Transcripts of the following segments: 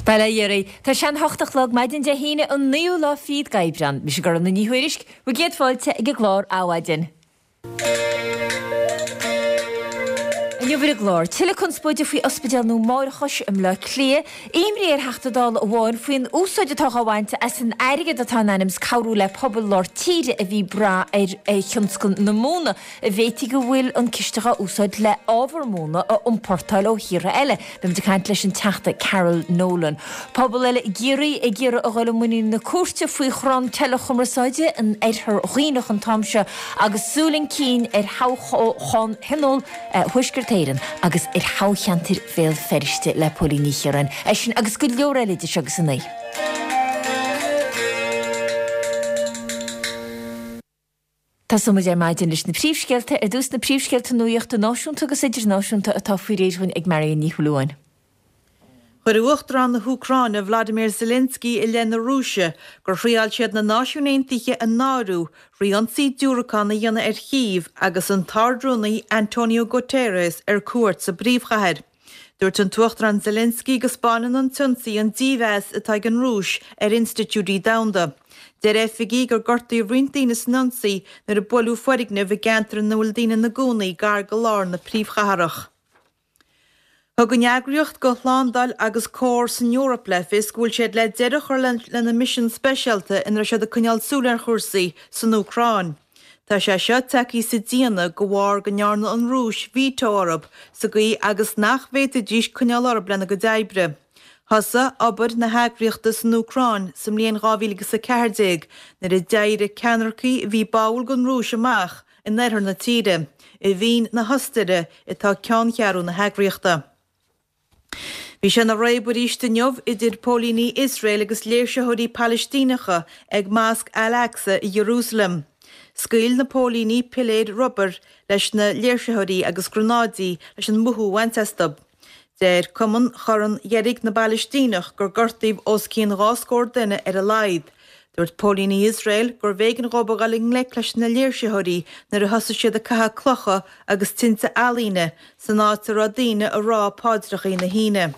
Bail ó Dhia oraibh. Tá sé an hocht a chlog maidin Dé hAoine an naoú lá fichead d'Aibreán. Mise Gormfhlaith Ní Thuairisg, bhur gcéad fáilte ag an gclár Adhmhaidin. Inniu ar an gclár, tuilleadh conspóide faoi ospidéal nua máithreachais i mBleá Cliath, imní ar Theachta Dála amháin faoin úsáid atá á bhaint as an airgead atá in ainm is cabhrú le pobail lár tíre a bhí ag brath ar thionscal na móna. An bhféadfaí go bhfuil an ciste dhá úsáid le ábhar móna a iompórtáil ó thíortha eile. Beimid ag caint leis an Teachta Carol Nolan. Pobal eile i gCiarraí ag iarraidh a dhul i muinín na cúirte faoi chrann teileachumarsáide in Oirthear Dhuibhneach an t-am seo agus súil chun cinn ar thoghchán Thionól Thuaisceart Éireann agus ar thoghcheantar Bhéal Feirste le Póilín Ní Chiaráin. É sin agus go leor eile idir seo agus a 9. Tosóidh muid ar maidin leis na príomhscéalta, ar dtús na príomhscéalta nuachta náisiúnta agus idirnáisiúnta atá faoi réir dhúinn ag Marion Ní Shúilleabháin. Chuir Uachtarán na hÚcráine Vladimir Zelensky i leith na Rúise gur thriáil siad na Náisiúin Aontaithe a náiriú thrí ionsaí diúracán a dhéanamh ar Chív agus an tArd-Rúnaí Antonio Guterres ar cuairt sa bpríomhchathair. Dúirt an tUachtarán Zelensky go 'spáineann an t-ionsaí an dímheas atá ag an Rúis ar institiúidí domhanda. Deir oifigigh gur gortaíodh roinnt daoine san ionsaí nuair a buaileadh foirgneamh i gceantar ina bhfuil daoine ina gcónaí gar go lár na príomhchathrach. Thug an Eagraíocht do Shlándáil agus Comhar san Eoraip le fios go bhfuil siad le deireadh a chur lena misean speisialta ina raibh siad ag coinneáil súil ar chúrsaí san Úcráin. Tá sé seo tagtha sa déanamh de bharr go ndearna an Rúis veto orthu sa gcaoi agus nach bhféadfaidís coinneáil orthu lena gcuid oibre. Thosaigh obair na heagraíochta san Úcráin sa mbliain 2014 nuair a d'éirigh ceannaircigh a bhí báúil don Rúis amach in oirthear na tíre. I Vín na hOstaire atá ceanncheathrú na heagraíochta. Bhí sé ina réabadh arís inniu idir póilíní Iosrael agus léirsitheoirí Palaistíneacha ag Mosc Al-Aqsa i Iarúsailéim. Scaoil na póilíní piléir rubair leis na léirsitheoirí agus gránáidí leis an mothú a bhaint astu. Deir Cumann Chorn Dheirg na bPalaistíneach gur gortaíodh os cionn 2 scór duine ar a laghad. Dúirt póilíní Iosrael gurbh éigean dhóibh a dhul i ngleic leis na léirsitheoirí nuair a thosaigh siad ag caitheamh clocha agus tinte ealaíne san áit a raibh daoine ag rá paidreacha na hAoine.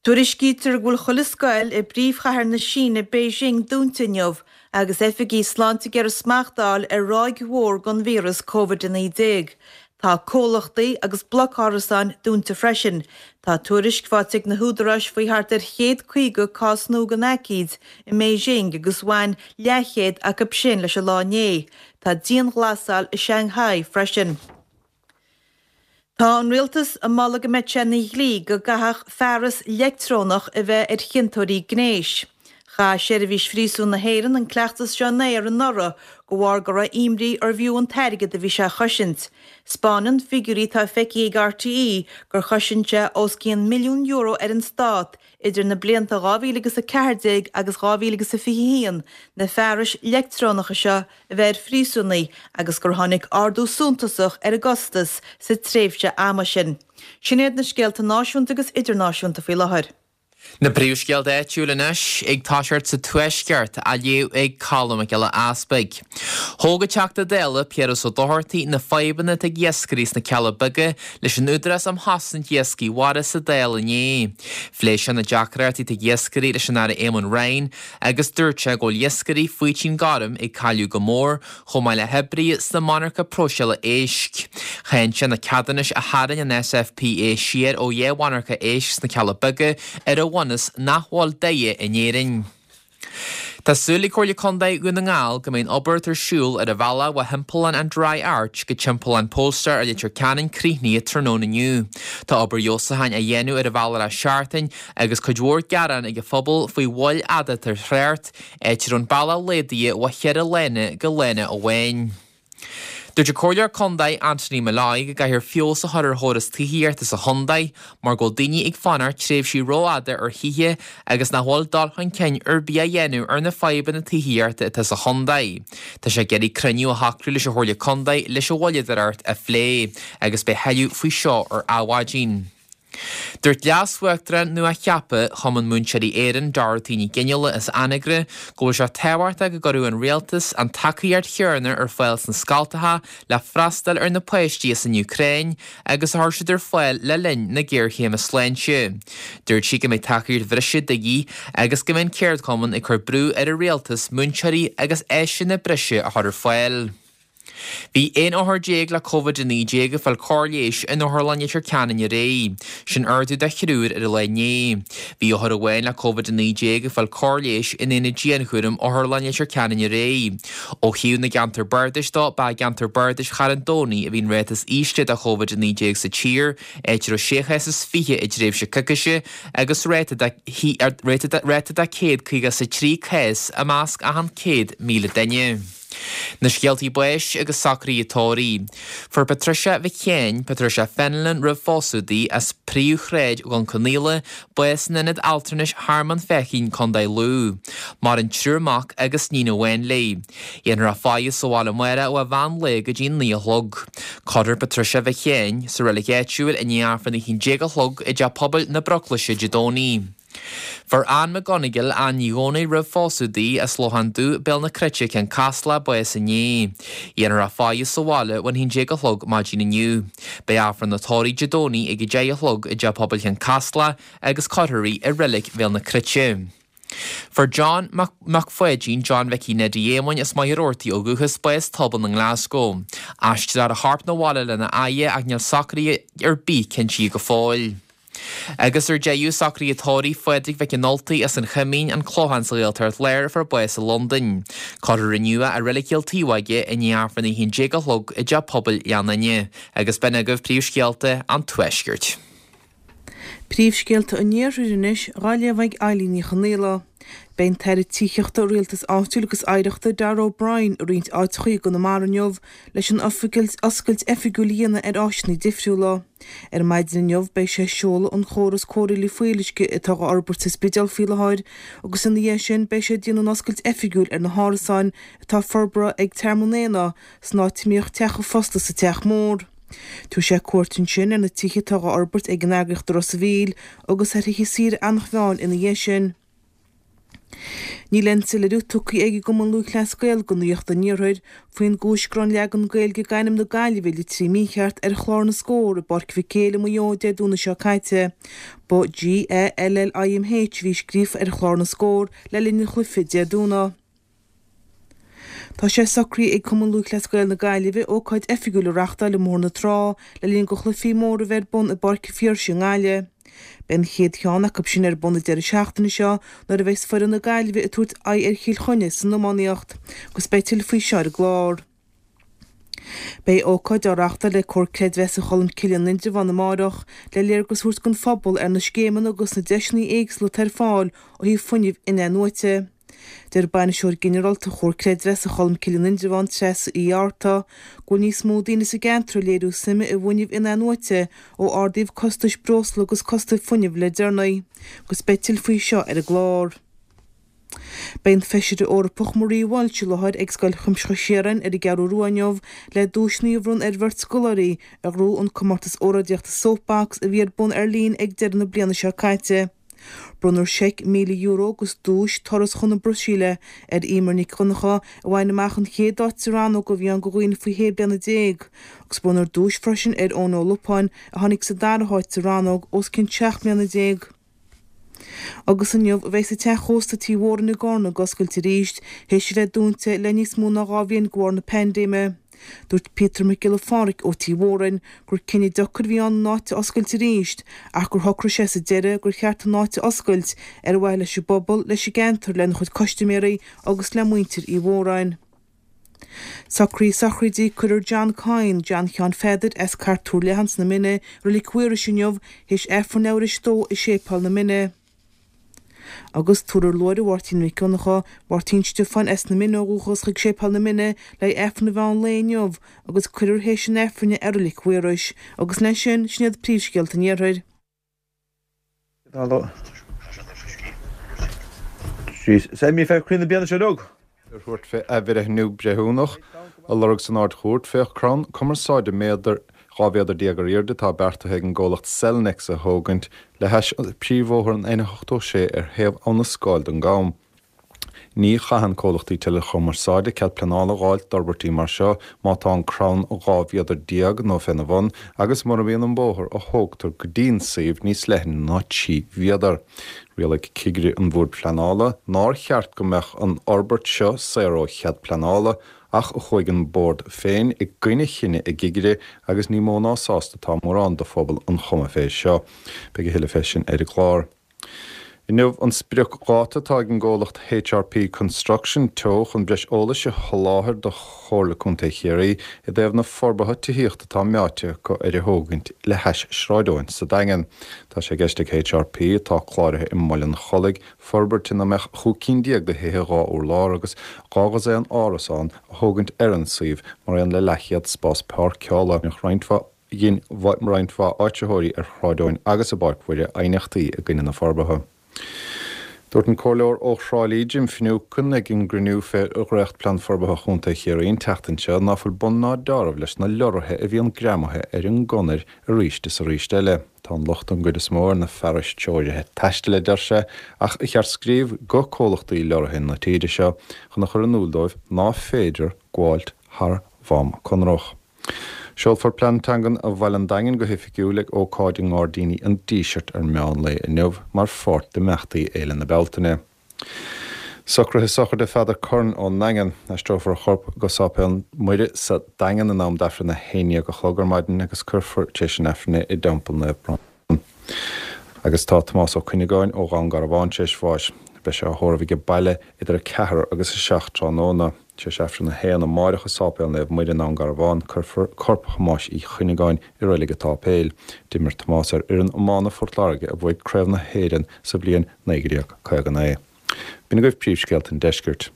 Tuairiscítear go bhfuil chuile scoil i bpríomhchathair na Síne, Beijing, dúnta inniu agus oifigigh sláinte ag iarraidh smacht a fháil ar ráig mhór den víreas Covid-19. Tá comhlachtaí agus bloic árasáin dúnta freisin. Tá tuairisc faighte ag na húdaráis faoi thart ar 150 cás nua den aicíd i mBeijing agus bhain leathchéad acu sin leis an lá inné. Tá dianghlasáil i Shanghai freisin. Tá an rialtas ag moladh go mbeadh sé ina dhlí go gcaithfeadh fearas leictreonach a bheith ar chiontóirí gnéis. Chaith Seirbhís Phríosúin na hÉireann an cleachtas seo in aer anuraidh de bharr go raibh imní arbh fhiú an t-airgead a bhí sé a chosaint. 'Spáineann figiúirí atá feicthe ag RTÉ gur chosain sé os cionn €1 milliún ar an stát idir na blianta 2000 agus 14 agus 2021 na fearais leictreonacha seo a bheith ar phríosúnaigh agus gur tháinig ardú suntasach ar an gcostas sa tréimhse ama sin. Sin iad na scéalta náisiúnta agus idirnáisiúnta faoi láthair. Na príomhscéalta áitiúil anois, ag toiseacht sa Tuaisceart, á léamh ag Colm Mac Giolla Easpaig. Thóg an Teachta Dála Piaras Ó Dochartaigh na fadhbanna atá ag iascairí sna Cealla Beaga leis an Údarás um Chosaint Iascaigh Mhara sa Dáil inné. Phléigh sé na deacrachtaí atá ag iascairí leis an Aire Éamon Ryan agus dúirt sé go bhfuil iascairí Faoitín Gorm ag cailleadh go mór, chomh maith le hoibrithe sna monarcha próiseála éisc. Cháin sé na ceadúnais a tharraing an SFPA siar ó dheich mhonarcha éisc sna Cealla Beaga ar an bhunús nach bhfuil daighe in Éirinn. Tá súil ag Comhairle Contae Dhún na nGall go mbeidh an obair atá ar siúl ar an bhealach ó Thimpeallán an Dry Arch go Timpeallán Polestar i Leitir Ceanainn críochnaithe tráthnóna inniu. Tá obair fheabhsúcháin á dhéanamh ar an bhealach le seachtain agus cuid mhór gearán ag an phobal faoi mhoill fhada atá ar thrácht, áit a raibh an bealach laghdaithe ó cheithre lána go lána amháin. Dúirt an Comhairleoir Contae Anthony Molloy go gcaithfear feabhas a chur ar chóras tithíochta sa chontae mar go bhfuil daoine ag fanacht tréimhsí rófhada ar thithe agus nach bhfuil dul chun cinn ar bith á dhéanamh ar na fadhbanna tithíochta atá sa chontae. Tá sé ag iarraidh cruinniú a shocrú leis an Chomhairle Contae leis an mhoilleadóireacht a phlé agus beidh tuilleadh faoi seo ar Adhmhaidin. Dúirt Leas-Uachtarán nua-cheaptha Chumann Múinteoirí Éireann, Dorothy Ní Ghionnaola as Anagaire, go bhfuil sé tábhachtach go gcuirfeadh an Rialtas an tacaíocht chéanna ar fáil sna scoltacha le freastal ar na páistí as an Úcráin agus a chuir siad ar fáil le linn na géarchéime sláinte. Dúirt sí go mbeidh tacaíocht bhreise de dhíth agus go mbeidh an ceardchumann ag cur brú ar an Rialtas múinteoirí agus áiseanna breise a chur ar fáil. Bhí 11 othar le Covid-19 ag fáil cóir leighis in Otharlann Leitir Ceanainn aréir. Sin ardú de thriúr ar an lá inné. Bhí othar amháin le Covid-19 ag fáil cóir leighis in aonad dianchúraim Otharlann Leitir Ceanainn aréir. Ó thaobh na gceantar bardais dó, ba i gceantar bardais Charn Domhnaigh a bhí an ráta is ísle de Covid-19 sa tír, áit a raibh sé chás is 20 i dtréimhse coicíse agus ráta de ráta de 153 cás i measc achan 100,000 duine. Na scéaltaí báis agus socruithe tórraimh. Fuair Patricia Mhic Sheáin, Patricia Fenelon roimh phósadh di, as Príomhshráid Dhún Conaola, bás in Ionad Altranais Thearmann Feichín, Co. Lú. Maireann triúr mac agus níon amháin léi. Dhéanfar a faire sa bhaile amárach ó mheán lae go dtí an 9 a chlog. Cuirfear Patricia Mhic Sheáin sa reilig áitiúil i ndiaidh Aifreann a 11 a chlog i dTeach Pobail na Broclaise Dé Domhnaigh. Fuair Ann McGonigle, Ann Ní Dhomhnaill roimh phósadh di, as Lochán Dubh, Béal na Cruite, Cionn Caslach, bás inné. Dhéanfar a faire sa bhaile ón 11 a chlog maidin inniu. Beidh Aifreann an tórraimh Dé Domhnaigh ag 10 a chlog i dTeach Pobail Chionn Caslach agus cuirfear í i Reilig Bhéal na Cruite. Fuair John Mac Mac Pháidín, John Mhicí Neidí Éamoinn as Machaire Rabhartaigh ó dhúchas, bás tobann i nGlasgow. Aistreofar a chorp 'na bhaile lena fhaire ach níl socruithe ar bith cinntithe go fóill. Agus ar deireadh, socruithe tórraimh Phádraig Mhic an Ultaigh as an Choimín, An Clochán sa Ghaeltacht Láir a fuair bás i Londain. Cuirfear inniu é i Reilig Chill Taobhóige i ndiaidh Aifreann a 11 a chlog i dTeach Pobail Ghleann Fhinne. Agus b'in agaibh príomhscéalta an Tuaiscirt. Príomhscéalta an Iarthair anois, dhá léamh ag Eilín Ní Chonaola. Beidh an tAire Tithíochta, Rialtais Áitiúil agus Oidhreachta Darragh O'Brien i roinnt áiteachaí i gConamara inniu leis an oscailt oifigiúil a dhéanamh ar áiseanna difriúla. Ar maidin inniu beidh sé ag seoladh an chóras cóireála fuíolluisce atá á fhorbairt sa Spidéal faoi láthair agus ina dhiaidh sin beidh sé ag déanamh an oscailt oifigiúil ar na hárasáin atá forbartha ag Tearmann Éanna san áit a mbíodh teach an phosta sa Teach Mór. Tabharfaidh sé cuairt ansin ar na tithe atá á fhorbairt ag an eagraíocht i Ros a' Mhíl agus ar thithe saoire Eanach Mheáin ina dhiaidh sin. Níl aon soiléiriú tugtha ag an gCumann Lúthchleas Gael do Nuacht an Iarthair faoin gcúis go raibh an leagan Gaeilge d'ainm na Gaillimhe litrithe mícheart ar chlár na scór i bPáirc Mhic Éil i Maigh Eo Dé Domhnaigh seo caite. Ba G-A-L-L-I-M-H a bhí scríofa ar chlár na scór le linn an chluiche Dé Domhnaigh. Tá sé socraithe ag Cumann Lúthchleas Gael na Gaillimhe ócáid oifigiúil a reachtáil i mBóthar na Trá le linn do chluichí móra a bheith ar bun i bPáirc an Phiarsaigh i nGaillimh. Beidh an chéad cheann acu sin ar bun an deireadh seachtaine seo nuair a bheas foireann na Gaillimhe ag tabhairt aghaidh ar Chill Chainnigh san iománaíocht agus beidh tuilleadh faoi seo ar an gclár. Beidh ócáid á reachtáil ag Comhar Creidmheasa Cholmcille in Indreabhán amárach le léargas a thabhairt don phobal ar na scéimeanna agus na deiseanna éagsúla atá ar fáil ó thaobh fuinnimh in-athnuaite. Deir Bainisteoir Ginearálta Chomhar Creidmheasa Cholmcille in Indreabhán, Treasa Uí Fhátharta, go bhfuil níos mó daoine sa gceantar ag léiriú suime i bhfuinneamh in-athnuaite ó ardaíodh costais breosla agus costais fuinnimh le deireanaí, agus beidh tuilleadh faoi seo ar an gclár. Beidh an Feisire Eorpach Marie Walsh i láthair ag Scoil Chuimsitheach Chiaráin ar an gCeathrú Rua inniu le duaiseanna a bhronnadh ar bheirt scoláirí a ghnóthaigh an comórtas óráidíochta Soapbox a bhí ar bun ar líne ag deireadh na bliana seo caite. Bronnfar seic €1,000 agus duais, turas chun na Brasaíle, ar Emer Nic Dhonncha a bhain amach an chéad áit sa rannóg a bhí ann do dhaoine faoi shé bliana déag, agus bronnfar duais freisin ar Eoin Ó Lupáin a tháinig sa dara háit sa rannóg os cionn 17 mbliana. Agus inniu a bheas an teach ósta Tí Mhórain i gCarna ag oscailt arís, théis a bheith dúnta le níos mó ná 2 bhliain de bharr na paindéime. Dúirt Peter Mac Giolla Phádraig ó Tí Mhórain gur cinneadh deacair a bhí ann an áit a oscailt arís ach gur shocraigh sé sa deireadh gur cheart an áit a oscailt ar mhaithe leis an bpobal, leis an gceantar, lena chuid custaiméirí agus le muintir Uí Mhóráin. Socruithe sochraide Cuirfear John Coyne, John Sheáin Pheadair, as Cairt Tuar Leathan sna Mine, i Reilig Mhaorais inniu, théis Aifreann leathuair théis a dó i Séipéal na Mine. Agus tabharfar luaithre Mháirtín Mhic Dhonncha, Máirtín Stiofáin as na Mine ó dhúchas chuig Séipéal na Mine le haghaidh Aifreann an mheán lae inniu agus cuirfear théis an Aifrinn é i Reilig Mhaorais. Agus leis sin, sin iad príomhscéalta an Iarthair. Ar thabhairt fé athbhreithniú breithiúnach a lorg san Ard-Chúirt, féach crann cumarsáide méadar. 12 mhéadar ar airde atá beartaithe ag an gcomhlacht Cellnex a thógaint le hais príomhbhóthar an N86 ar thaobh Abha na Scáil den gCam. Ní chaitheann comhlachtaí teileachumarsáide cead pleanála a dh'fháilt d'fhorbairtí mar seo má tá an crann 12 mhéadar nó féna bhun agus mura mbíonn an bóthar a thógtar go dtí'n suíomh níos leithne ná 3 mhéadar. Rialaigh cigire an Bhoird Phleanála nár cheart go mbeadh an fhorbairt seo saor ó chead pleanála ach chuaigh an Bord féin i gcoinne chinneadh a gcigire agus ní mó ná sásta atá mórán de phobal an Choma fé seo. Beidh a thuilleadh fé sin ar an gclár. Inniu an spriocdháta atá ag an gcomhlacht HRP Construction Teo chun breis eolais a sholáthar do Chomhairle Contae Chiarraí i dtaobh na forbartha tithíochta atá meáite acu ar a thógaint le hais Sráid Eoin sa Daingean. Tá sé i gceist ag HRP, atá cláraithe i mBaile an Chollaigh, forbairt ina mbeadh 15 cinn de thithe 2 urlár agus 12 dhosaen árasán a thógaint ar an suíomh mar aon le leathchéad spás páirceála. Roinnt mhaith Dhein roinnt mhaith áitritheoirí ar Shráid Eoin agus i bPáirc Mhuire aighneachtaí i gcoinne na forbartha. Dúirt an Comhairleoir ó Thrá Lí, Jim Finucane, ag an gcruinniú fé dhréacht-Plean Forbartha Chontae Chiarraí an tseachtain seo ná fuil bun ná deáramh leis na lorraithe a bhíonn greamaithe ar an gconair arís is arís eile. Tá an locht don gcuid is mó ar na fearais treoirithe taistil, a deir sé, ach ba cheart scríobh go comhlachtaí lorraithe na tíre seo chun a chur in iúl dóibh ná féidir gabháilt thar mham conrach. Seolfar Plean Teangan Bhaile an Daingin go hoifigiúil ag ócáid i nGairdíní an Dísirt ar meán lae inniu mar pháirt d'imeachtaí Fhéile na Bealtaine. Socruithe sochraide Pheadar Curran ón nDaingean. Aistreofar a chorp go Sáipéal Muire sa Daingean in am d'Aifreann a haon dhéag a chlog ar maidin agus cuirfear tar éis an Aifrinn é i dTeampall Naomh Brandán. Agus tá Tomás Ó Cuinneagáin ó Dhún Garbhán tar éis bháis. Beidh sé á thórramh age baile idir 4 agus 7 tráthnóna. Tar éis Aifreann a haon amáireach i Sáipéal Naomh Muire i nDún Garbhán, cuirfear corp Thomáis Uí Chuinneagáin i Reilig an tSáipéil. D'imir Tomás ar fhoireann iomána Phort Láirge a bhuaigh Craobh na hÉireann sa bhliain 1959. B'in agaibh príomhscéalta an deiscirt.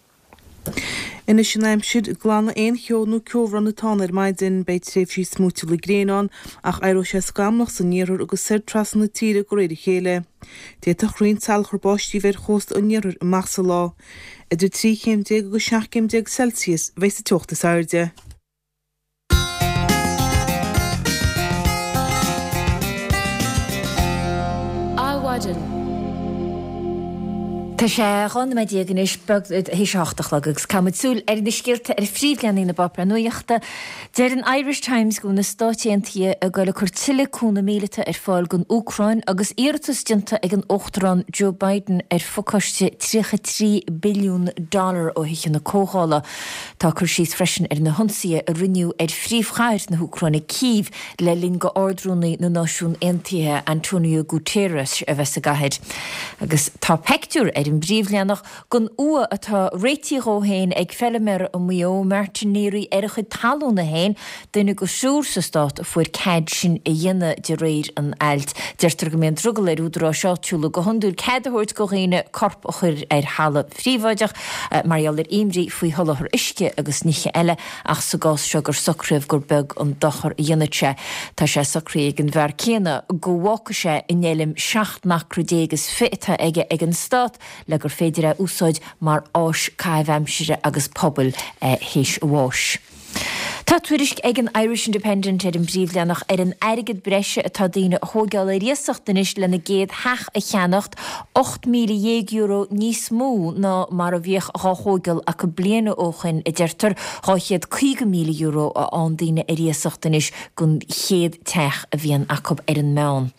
Anois an aimsir, glanfaidh aon cheo nó ceobhrán atá ann ar maidin. Beidh tréimhsí smúitiúla gréine ann ach éireoidh sé scamallach san iarthar agus soir trasna na tíre de réir a chéile. D'fhéadfadh roinnt salachar báistí a bheith ar chósta an iarthair amach sa lá. Idir 13 chéim agus 17 céim Celsius a bheidh sa teocht is airde. Adhmhaidin. Tá sé 12 nóiméad anois beag théis a hocht a chlog agus caithfimid súil ar na scéalta ar phríomhleathanaigh na bpáipéar nuachta. Deir an Irish Times go bhfuil na Stáit Aontaithe ag goil ag cur tuilleadh cúnamh míleata ar fáil don Úcráin agus iarratas déanta ag an Uachtarán Joe Biden ar phacáiste 33 billiún dollar ó Thithe na Comhdhála. Tá cur síos freisin ar na hionsaithe a rinneadh ar phríomhchathair na hÚcráine, Cív, le linn do Ard-Rúnaí na Náisiún Aontaithe, Antonio Guterres, a bheith sa gcathair. Agus tá peictiúr ar an bpríomhleathanach den uaigh atá réitithe dhó féin ag feiliméara i Maigh Eo, Martin Neary, ar a chuid talúna féin, duine de thriúr sa stát a fuair cead sin a dhéanamh de réir an ailt. Deirtear go mbíonn drogall ar údaráis áitiúla go hiondúil cead a thabhairt do dhaoine corp a chur ar thalamh phríobháideach mar gheall ar imní faoi sholáthar uisce agus nithe eile ach sa gcás seo gur socraíodh gur beag an dochar a dhéanfadh sé. Tá sé socraithe ag an bhfear céanna go bhfágfaidh sé an fheilm 17 n-acra is fi atá aige ag an stát le gur féidir é a úsáid mar áis caitheamh aimsire agus pobail théis a bháis. Tá tuairisc ag an Irish Independent ar an bpríomhleathanach ar an airgead breise atá daoine a thóigeáil ar iasacht anois lena gcéad theach a cheannacht, €18,000 níos mó ná mar a bhíodh dhá thóigeáil acu bliain ó shoin, a deirtear, €250,000 a fhaigheann daoine ar iasacht anois don chéad teach a bhíonn acu ar an meán.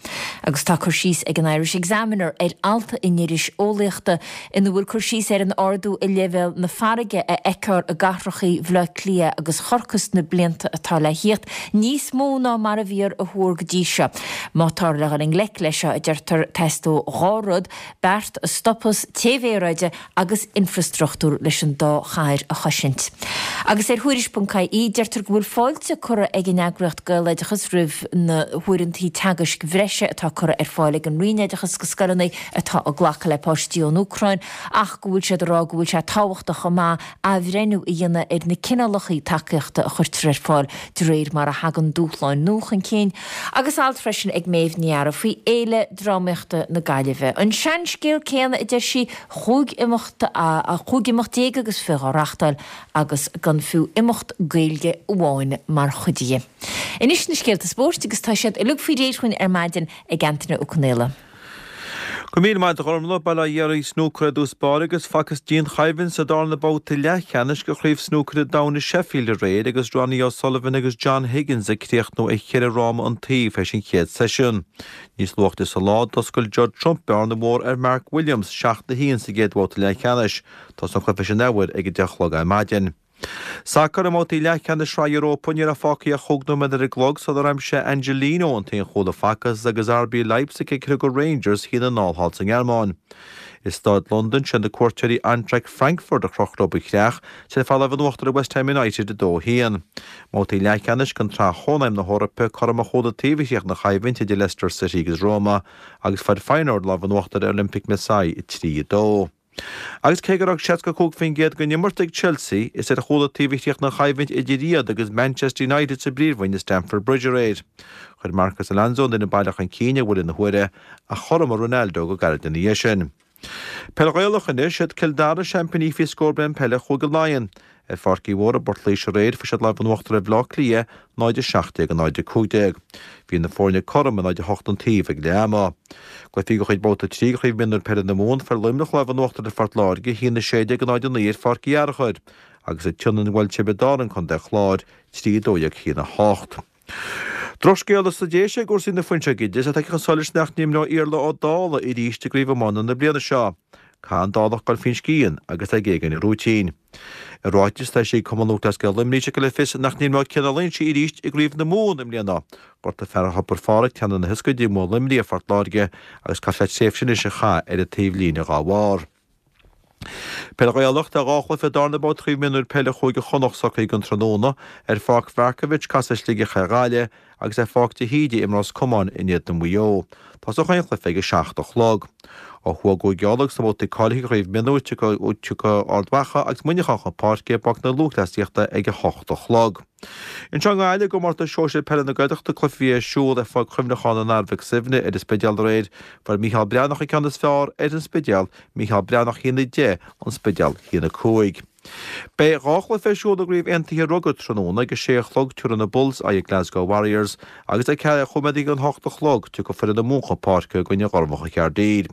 Agus tá cur síos ag an Irish Examiner ar alt in iris eolaíochta ina bhfuil cur síos ar an ardú i leibhéal na farraige a fheicfear i gcathrachaí Bhaile Átha Cliath agus Chorcaí sna blianta atá le thíocht, níos mó ná mar a bhíodh a thuar go dtí seo. Má táthar le dhul i ngleic leis seo, a deirtear, teastóidh dhá rud, beart a stopfas téamh aeráide agus infreastruchtúr leis an dá chathair a chosaint. Agus ar Thuairisc.ie, deirtear go bhfuil fáilte curtha ag an eagraíocht Gaeloideachas roimh na huaireantaí teagaisc bhreise atá curtha ar fáil ag an Roinn Oideachais go scoileanna atá ag glacadh le páistí ón Úcráin ach go bhfuil siad ag rá go bhfuil sé tábhachtach chomh maith athbhreithniú a dhéanamh ar na cineálacha tacaíochta a chuirtear. chuirtear ar fáil de réir mar a thagann dúshláin nua chun cinn. Agus alt freisin ag Méabh Ní Fhearraigh faoi Fhéile Drámaíochta na Gaillimhe. An seanscéal céanna, a deir sí, 15 imeacht, 15 imeacht agus 20 á reachtáil agus gan fiú imeacht Gaeilge amháin mar chuid de. Anois na scéalta spóirt agus tá siad uilig faoi réir chugainn ar maidin ag Antaine Ó Conaola. Go raibh míle maith agat a Ghormlaith, Bail ó Dhia ar an snúcar i dtús báire agus facthas dianchoimhlint sa darna babhta leathcheannais de Chraobh Snúcair an Domhain i Sheffield aréir agus Ronnie O'Sullivan agus John Higgins ag críochnú ar cheithre fhráma an taobh théis an chéad seisiún. Níos luaithe sa lá, d'oscail Judd Trump bearna mhór ar Mark Williams, 7-1 sa gcéad bhabhta leathcheannais. Tosóidh an cluiche sin athuair ag a 10 a chlog ar maidin. Sacar i mbabhtaí leathcheannais Shraith Europa, ní raibh fágtha ach chúig nóiméad ar an gclog sular aimsigh Angelino an t-aon chúl a facthas agus RB Leipzig ag criogadh Rangers 1-0 thall sa nGearmáin. I Staid Londan, sé na cuairteoirí Eintracht Frankfurt a chroch leo ba chreach tar éis fáil lámh in uachtar ar West Ham United 2-1. I mbabhtaí leathcheannais den tSraith Chónaidhm na hEorpa, cothrom an chúl an taobh a chríochnaigh an choimhlint idir Leicester City agus Roma agus fuair Feyenoord lámh in uachtar ar Olympique Marseille 3-2. Agus cé go raibh 65% den imirt ag Chelsea, is ar chúl an taobh a chríochnaigh an choimhlint idir iad agus Manchester United sa bPríomhroinn i Stamford Bridge aréir. Chuir Marcos Alonso an fhoireann baile chun cinn ar bhuille na huaire ach chothromaigh Ronaldo go gairid ina dhiaidh sin. Peil Ghaelach anois, Siad Cill Dara seaimpíní faoi scór bliain peile Chúige Laighean. Ar Pháirc Uí Mhórdha i bPort Laoise aréir, fuair siad lámh in uachtar ar Bhaile Átha Cliath, 0-17, 0-15. Bhí na foirne cothrom, 0-8 an taobh ag leath ama. Cluichí de chuid Babhta 3 de Chraobh Mionúir Peile na Mumhan, fuair Luimneach lámh in uachtar ar Phort Láirge, 1-16, 0-9 ar Pháirc Uí Fhearchair, agus an tSionainn bhuail Tiobraid Árann Contae an Chláir, 3-12, 1-8. Drochscéala sna Déise i gcúrsaí na fuinseoige de is é tagtha chun solais nach n-imreoidh Iarla Ó Dálaigh arís i gcraobh iomána na bliana seo. Caithfidh an Dálach dul faoin scian agus é ag éagáil a rúitín. I ráiteas atá eisithe ag Cumann Lúthchleas Gael Luimnigh tugtar le fios nach n-imreoidh Cian Ó Loingsigh arís i gcraobh na Mumhan i mbliana. Gortaigh fear Thobar Phádraig teannán na hioscaide i mbua Luimnigh ar Phort Láirge agus caithfidh sé tréimhse anois a chaitheamh ar an taobhlíne dhá bharr. Peil Ghaelach, Tá dhá chluiche darna babhta Chraobh Mionúir Peile Chúige Chonnacht socraithe don tráthnóna. Ar Pháirc Mharkievicz casfaidh Sligeach ar Ghaillimh agus ar Pháirc de hÍde imreoidh Ros Comáin in éadan Mhaigh Eo. Tosóidh chaon chluiche ag a 7 a chlog. Ó thuaidh i gCúige Uladh sna babhtaí cáilithe Chraobh Mionúir tiocfaidh Ard Mhacha agus Muineachán chun páirce i bPáirc na Lúthchleasaíochta ag a 8 a chlog. Anseo i nGaillimh, i gComórtas Sóisir Peile na Gaeltachta, cluiche a bhí ar siúl ar Pháirc Chuimhneacháin an Athar Mhic Suibhne ar an Spidéal aréir, fuair Mícheál Breathnach an ceann is fearr ar an Spidéal, Mícheál Breathnach 1-10, An Spidéal 1-5. Beidh dhá chluiche ar siúl i gCraobh Aontaithe Rugair tráthnóna ag a sé a chlog tabharfaidh na Bulls aghaidh ar Glasgow Warriors agus ag ceathrú chun a hocht a chlog tiocfaidh foireann na Mumhan chun páirce i gcoinne Ghormlacha Chaerdydd.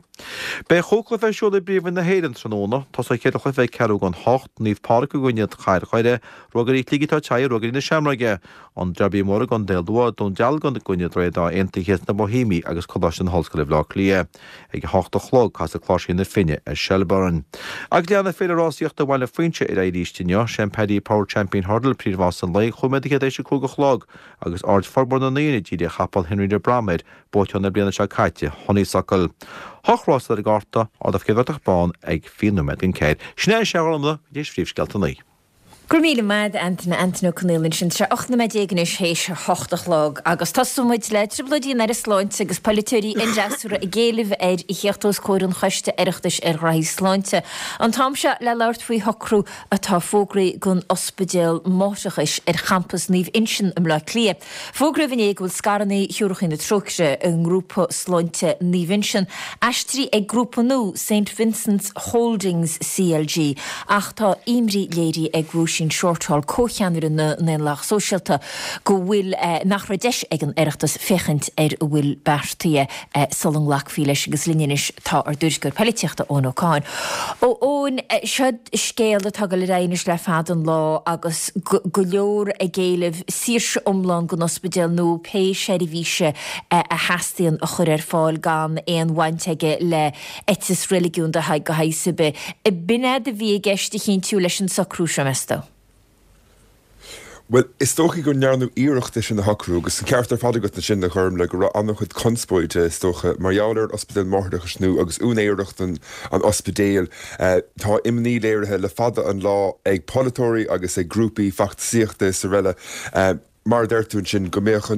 Beidh chúig chluiche ar siúl i bPríomhroinn na hÉireann tráthnóna. Tosóidh an chéad chluiche ag ceathrú don hocht, Naomh Pádraig i gcoinne Chathair Dhoire, Ruagairí Shligigh atá ag tabhairt aghaidh ar Ruagairí na Seamróige, An Derby Mór i gContae Lú, Dún Dealgan i gcoinne Droichead Átha Aontaithe sna Boihéamaigh agus Coláiste na hOllscoile Bhaile Átha Cliath. Ag a hocht a chlog, casfaidh Cláirsigh na Finne ar Shelbourne. Agus leanfaidh Féile Rásaíochta Bhaile Phuinse ar aghaidh arís inniu. Sé an Paddy Power Champion Hurdle príomhrás an lae, chúig nóiméad tar éis a cúig a chlog, agus aird formhór na ndaoine dírithe ar chapall Henry de Bromhead, buaiteoir na bliana seo caite, Honeysuckle. Hocht rás ar an gcárta, ardú Chéad Bhratach Bán ag 20 nóiméad don ceathair. Sin é, a Ghormlaith, go dtí phríomhscéalta an lae. Go raibh míle maith agat, Antaine, Antaine Ó Conaola ansin. Tá sé 18 nóiméad anois théis a hocht a chlog agus tosóidh muid le trioblóidí an Aire Sláinte agus polaiteoirí an fhreasúra ag éileamh air a theacht os comhair an Choiste Oireachtais ar Ghraithí Sláinte an t-am seo le labhairt faoi shocrú atá fógraithe don ospidéal máithreachais ar champas Naomh Uinseann i mBleá Cliath. Fógraíodh inné go bhfuil scaireanna Shiúracha na Trócaire i ngrúpa sláinte Naomh Uinseann aistrithe ag grúpa nua Saint Vincent's Holdings CLG ach tá imní léirithe ag Róisín Shortall, comhcheannaire na nDaonlathach Sóisialta, go bhfuil nach raibh deis ag an Oireachtas féachaint ar a bhfuil beartaithe sula nglacfaí leis agus linn anois tá ár dtuairisceoir poilitíochta Eoin Ó Catháin. A Eoin, seo scéal atá ag dul ar aghaidh anois le fada an lá agus go leor ag éileamh saoirse iomlán don ospidéal nua pé seirbhíse a theastaíonn a chur ar fáil gan aon bhaint aige le eiteas reiligiúnda de shaghas ar bith. B'in é a bhí i gceist a chinntiú leis an socrú seo, meas tú? Bhuel, is dóichí go ndearnadh iarracht é sin a shocrú agus an ceart ar fad agat ansin, a Ghormlaith, go raibh an-chuid conspóide, is dócha, mar gheall ar an ospidéal máithreachais nua agus úinéireacht an ospidéil. Tá imní léirithe le fada an lá ag polaiteoirí agus ag grúpaí feachtasaíochta is araile, mar a deir tú ansin, go mbeadh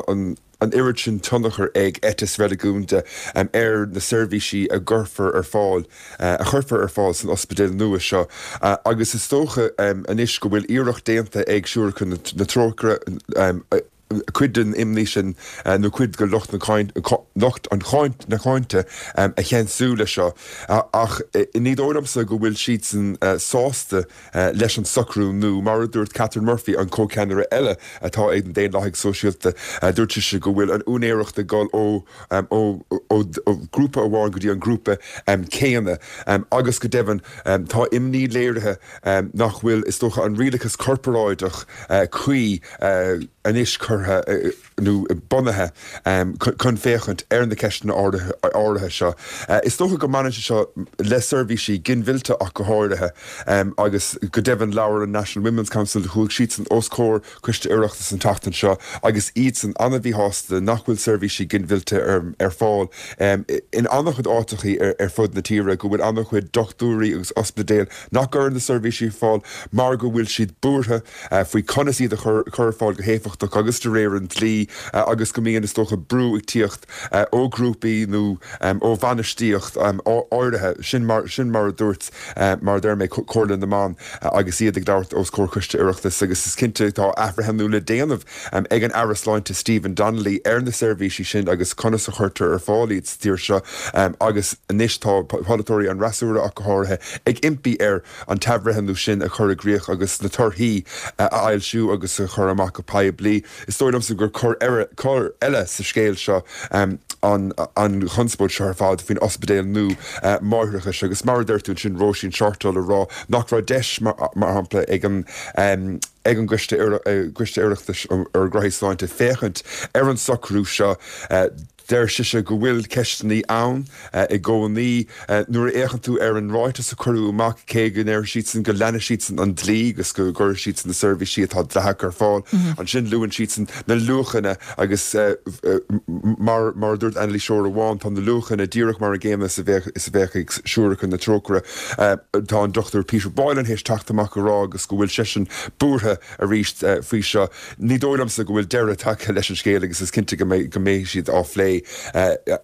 an. an oiread sin tionchar ag eiteas reiligiúnda ar na seirbhísí a gcuirfear ar fáil, a chuirfear ar fáil san ospidéal nua seo agus is dócha anois go bhfuil iarracht déanta ag Siúracha na Trócaire cuid den imní sin nó cuid de lucht lucht an na cáinte a cheansú leis seo ach ní dóigh liomsa go bhfuil siadsan sásta leis an socrú nua. Mar a dúirt Catherine Murphy, an comhcheannaire eile atá ag na Daonlathaigh Sóisialta, dúirt sise go bhfuil an úinéireacht ag dul ó ó ghrúpa amháin go dtí an grúpa céanna agus go deimhin tá imní léirithe nach bhfuil, is dócha, an rialachas corparáideach cuí anois curtha nó bunaithe chun féachaint ar na ceisteanna áirithe seo. Is dócha go mbaineann sé seo le seirbhísí ginmhillte ach go háirithe agus go deimhin labhair an National Women's Council, chuaigh siadsan os comhair Coiste Oireachtais an tseachtain seo agus iadsan an-mhíshásta nach bhfuil seirbhísí ginmhillte ar fáil in an-chuid áiteachaí ar fud na tíre, go bhfuil an-chuid dochtúirí agus ospidéil nach gcuireann na seirbhísí ar fáil mar go bhfuil siad buartha faoi conas iad a chur ar fáil go héifeachtach agus de réir an dlí agus go mbíonn, is dócha, brú ag tíocht ó ghrúpaí nó ó bhainistíocht áirithe. Sin mar, sin mar a dúirt, mar a deir mé, Comhairle na mBan agus iad ag labhairt os comhair Coiste Oireachtais agus is cinnte tá athbhreithniú le déanamh ag an Aire Sláinte Stephen Donnelly ar na seirbhísí sin agus conas a chuirtear ar fáil iad sa tír seo agus anois tá polaiteoirí an fhreasúra ach go háirithe ag impí air an t-athbhreithniú sin a chur i gcrích agus na torthaí a fhoilsiú agus a chur amach go poiblí. Is dóigh liomsa gur cor eile sa scéal seo an chonspóid seo ar fad faoin ospidéal nua máithreachais agus mar a deir tú ansin Róisín Shortall ag rá nach raibh deis mar shampla ag an ag an gCoiste Oireachtais ar Ghnoithí Sláinte féachaint ar an socrú seo. Deir sise go bhfuil ceisteanna ann i gcónaí. Nuair a fhéachann tú ar an ráiteas a cuireadh amach, cé go ndeir siadsan go leanfaidh siadsan an dlí agus go gcuirfidh siadsan na seirbhísí atá dleathach ar fáil, ansin luann siadsan na luachanna agus mar mar a dúirt anailíseoir amháin, tá na luachanna díreach mar an gcéanna is a bheadh is a bheadh ag Siúracha na Trócaire. Tá an Dr Peter Boylan théis teacht amach a rá agus go bhfuil seisean buartha arís faoi seo. Ní dóigh liomsa go bhfuil deireadh tagtha leis an scéal agus is cinnte go mbeidh siad á phlé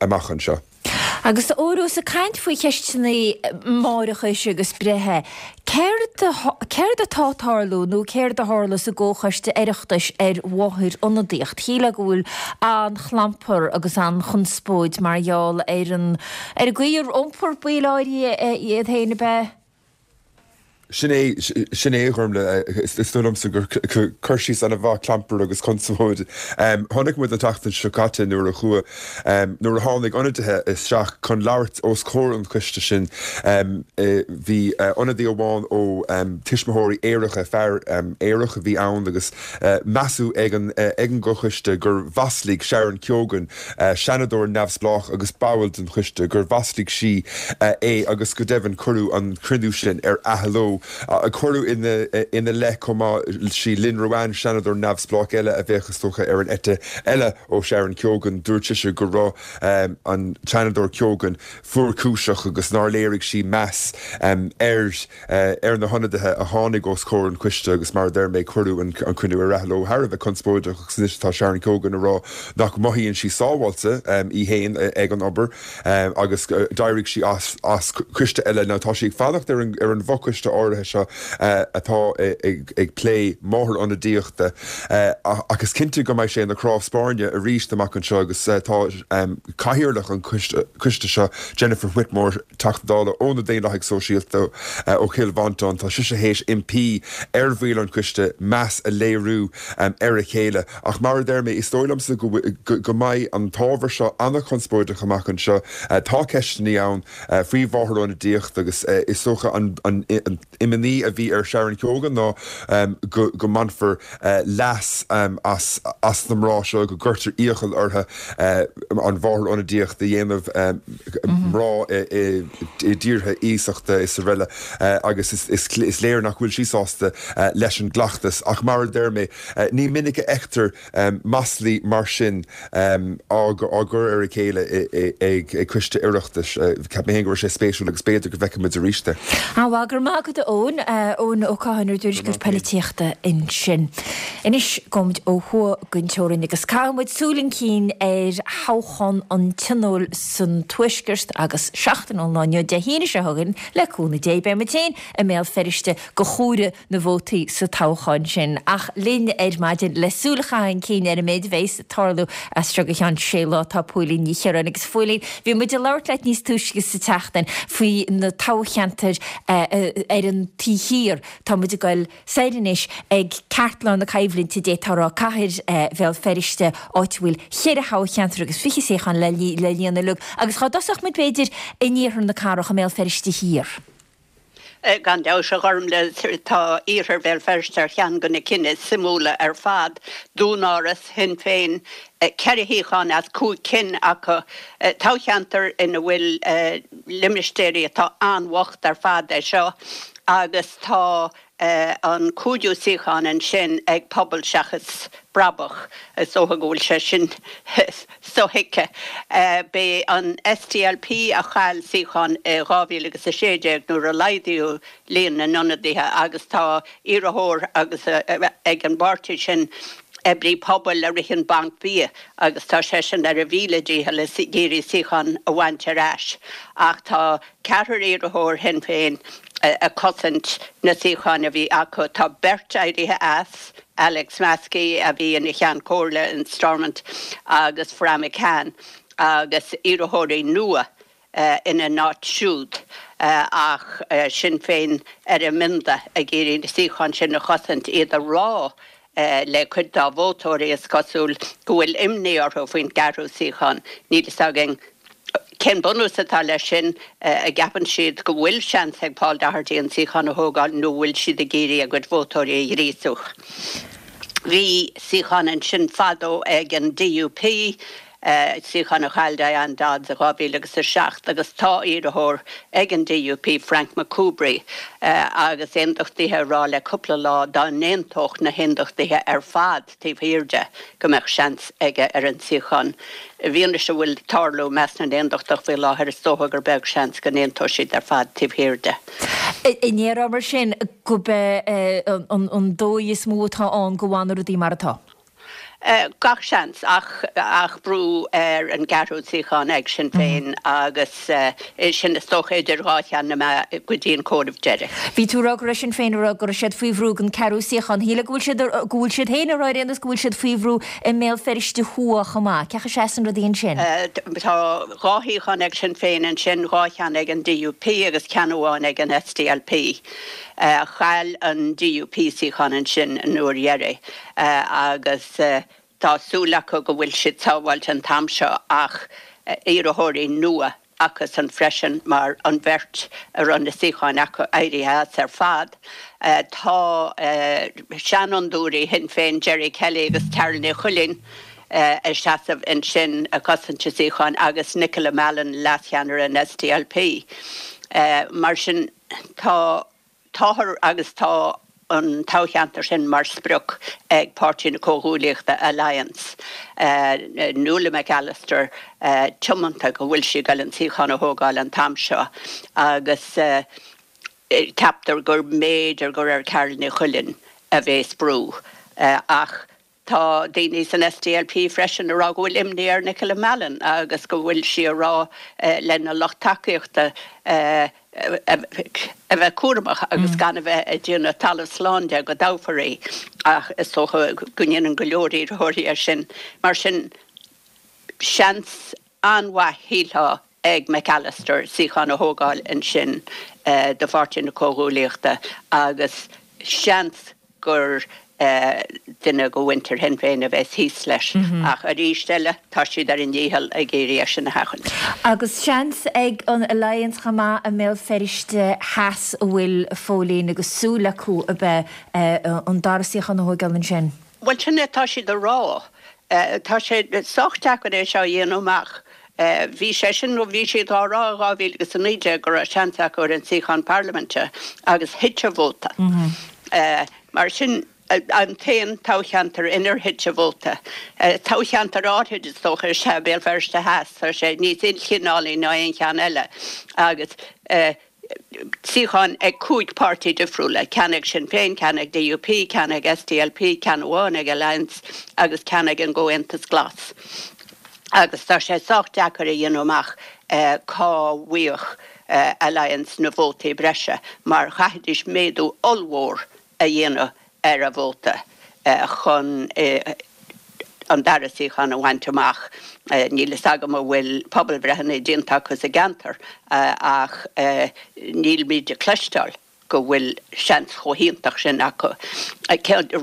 amach anseo. Agus ós ag caint faoi cheisteanna máithreachais agus breithe, céard céard atá ag tarlú nó céard a tharla sa gComhchoiste Oireachtais ar mháthair-ionadaíocht? Shílfeá go bhfuil an-chlampar agus an-chonspóid mar gheall ar an ar an gcaoi ar iompar baill áirithe iad féin, ab ea? Sin é, sin é, a Ghormlaith. Is dóigh liomsa gur cur síos an-mhaith, clampar agus conspóid. Chonaic muid an tseachtain seo caite nuair a chuaigh, nuair a tháinig ionadaithe isteach chun labhairt os comhair an choiste sin, bhí ionadaí amháin ó Tuismitheoirí Aeracha, fear aerach a bhí ann agus measadh ag an, ag an gcomhchoiste gur mhaslaigh Sharon Keoghan, Seanadóir neamhspleách agus ball den choiste, gur mhaslaigh sí é agus go deimhin cuireadh an cruinniú sin ar athló. Cuireadh ina leith chomh maith sí Lynn Ruane, Seanadóir neamhspleách eile a bheadh is dócha ar an eite eile ó Sharon Keoghan. Dúirt sise go raibh an Seanadóir Keoghan fuarchúiseach agus nár léirigh sí meas ar ar na hionadaithe a tháinig os comhair an choiste agus mar a deir mé cuireadh an cruinniú ar athló thar a bheith conspóideach agus anois tá Sharon Keoghan ag rá nach mothaíonn sí sábháilte í féin ag an obair agus d'éirigh sí as as coiste eile. Now tá sí ag fanacht ar an ar an bhfochoiste áirithe seo atá ag plé máthair-ionadaíochta ach is cinnte go mbeidh sé ina chnámh spairne arís amach anseo agus tá cathaoirleach an choiste seo Jennifer Whitmore Teachta Dála ó na Daonlathaigh Sóisialta ó Chill Mhantáin, tá sise théis impí ar bhaill an choiste meas a léiriú ar a chéile. Ach mar a deir mé, is dóigh liomsa go go mbeidh an t-ábhar seo an-chonspóideach amach anseo. Tá ceisteanna ann faoi mháthair-ionadaíocht agus is dócha an imní a bhí ar Sharon Keoghan ná go go mbainfear leas as as na mná seo, go gcuirtear iachall orthu an mháthair-ionadaíocht a dhéanamh, mná i dtíortha iasachta is araile agus is léir nach bhfuil sí sásta leis an gcleachtas. Ach mar a deir mé, ní minic a fheictear maslaí mar sin á gcur ar a chéile ag coiste Oireachtais. Cheap mé féin go raibh sé spéisiúil agus b'fhéidir go bhfeicfidh muid arís é. An-mhaith, go raibh maith agat. Eoin. Eoin Ó Catháin, ár dtuairisceoir poilitíochta ansin. Anois gabhaimid ó thuaidh den teorainn agus caithfidh muid súil chun cinn ar thoghchán an Tionóil san Tuaisceart agus seachtain ón lá inniu, Dé hAoine seo chugainn, le cúnamh Dé, beidh muid féin i mBéal Feirste do chomhaireamh na vótaí sa toghchán sin. Ach linn ar maidin le súil a chaitheamh chun cinn ar an méid a bheas ag tarlú as seo go ceann sé lá tá Póilín Ní Chiaráin. Agus a Phóilín, bhí muid ag labhairt leat níos túisce sa tseachtain faoi na toghcheantair ar an taobh thiar. Tá muid ag goil soir anois ag ceartlár na coimhlinte, d'fhéadfá a rá, cathair Bhéal Feirste, áit a bhfuil cheithre thoghcheantar agus 20 suíochán le líonadh uilig. Agus dhá dtosódh muid b'fhéidir in iarthar na cathrach, i mBéal Feirste Thiar. Gan dabht, a Ghormlaith, tá iarthar Bhéal Feirste ar cheann de na cinn is suimiúla ar fad. Dúnáras Shinn Féin, ceithre shuíochán as cúig cinn acu. Toghcheantar ina bhfuil limistéirí atá an-bhocht ar fad é seo agus tá an cúigiú suíochán ansin ag Pobal Seachas Brabach. Is dócha go bhfuil sé sin sothuigthe. B'é an SDLP a chaill suíochán i 2016 nuair a laghdaíodh líon na n-ionadaithe agus tá iarrthóir agus ag an bpáirtí sin, oibrí pobail a ritheann banc bia agus tá seisean ar a mhíle dícheall ag iarraidh suíochán a bhaint ar ais ach tá ceathrar iarrthóir Shinn Féin ag cosaint na suíocháin a bhí acu. Tá beirt éirithe as, Alex Maskey a bhí ina Cheann Comhairle in Stormont agus Fra McCann agus iarrthóirí nua ina n-áit siúd ach Sinn Féin ar a mbionda ag iarraidh na suíocháin sin a chosaint, iad ag rá le cuid dá vótóirí, is cosúil, go bhfuil imní orthu faoin gceathrú suíochán. Níl fhios againn cén bunús atá leis sin. An gceapann siad go bhfuil seans ag Paul Doherty an suíochán a thógáil nó an bhfuil siad ag iarraidh a gcuid vótóirí a ghríosú? Bhí suíochán ansin fadó ag an DUP. suíochán a chaill Diane Dodds i 2007 agus tá iarrthóir ag an DUP, Frank McCoubrey, agus aondachtaithe ag rá le cúpla lá dá n-aontódh na haondachtaithe ar fad taobh thiar de go mbeadh seans aige ar an suíochán. I bhfianaise a bhfuil ag tarlú i measc na n-aondachtach faoi láthair is dócha gur beag seans go n-aontóidh siad ar fad taobh thiar de. An ndéarfá mar sin gurb é an dóigh is mó atá ann go bhfanfaidh rudaí mar atá? Gach seans, ach ach brú ar an gceathrú suíochán ag Sinn Féin agus é sin is dócha idir dhá cheann na meá go dtí an comhaireamh deiridh. Bhí tú ag rá go raibh Sinn Féin ag rá go raibh siad faoi bhrú don ceathrú suíochán. Shílfeá go bhfuil siad go bhfuil siad féin ag rá ar aon nós go bhfuil siad faoi bhrú i mBéal Feirste Thuaidh chomh maith. Cén chaoi a seasann rudaí ansin? Tá dhá shuíochán ag Sinn Féin ansin, dhá cheann ag an DUP agus ceann amháin ag an SDLP. Chaill an DUP suíochán ansin an uair dheiridh. agus tá súil acu go bhfuil siad sábháilte an t-am seo ach iarrthóirí nua acusan freisin mar an bheirt a raibh na suíocháin acu éirithe as ar fad. Tá seanfhondúirí Shinn Féin Gerry Kelly agus Carál Ní Chuilín ag seasamh ansin ag cosaint a suíocháin agus Nicola Mallon, leascheannaire an SDLP. Mar sin tá Táthar agus tá an toghcheantar sin mar sprioc ag Páirtí na Comhghuaillíochta, Alliance. Nuala McAllister tiomanta go bhfuil sí ag goil an suíochán a thógáil an t-am seo agus ceaptar gur mb'fhéidir gur ar Carál Ní Chuilín a bhéas brú ach Tá daoine san SDLP freisin ag rá go bhfuil imní ar Nicola Mallon agus go bhfuil sí ag rá lena lucht tacaíochta a bheith cúramach agus gan a bheith ag déanamh talamh slán de go dtoghfar í ach is dócha go ndéanann go leor iarrthóirí é sin. Mar sin, seans an-mhaith, shílfeá, ag McAllister suíochán a thógáil ansin do Pháirtí na Comhghuaillíochta agus seans gur duine de mhuintir Shinn Féin a bheas thíos leis. Ach arís eile, tá siad ar a ndícheall ag iarraidh é sin a sheachaint. Agus seans ag an Alliance chomh maith i mBéal Feirste Theas an bhfuil, a Phóilín, agus súil acu ab ea an dara suíochán a thóigeáil ansin? Bhuel, sin é atá siad a rá. Tá sé sách deacair é seo a dhéanamh amach. Bhí sé sin, nó bhí siad á rá i 2019 go raibh seans acu ar an suíochán parlaiminte agus thit an vóta. Mar sin, an t-aon toghcheantar inar thit an vóta. Toghcheantar áirid is dócha is ea Béal Feirste Theas, tá sé níos ilchineálaí ná aon cheann eile agus. suíocháin ag 5 páirtí difriúla, ceann ag Sinn Féin, ceann ag DUP, ceann ag SDLP, ceann amháin ag Alliance agus ceann ag an gComhaontas Glas. Agus tá sé sách deacair a dhéanamh amach cá bhfaigheadh Alliance na vótaí breise mar chaithfidís méadú ollmhór a dhéanamh ar a vóta chun an dara suíochán a bhaint amach. Níl fhios agam an bhfuil pobalbhreitheanna déanta acu sa gceantar ach nílimid ag cloisteáil go bhfuil seans chomh hiontach sin acu.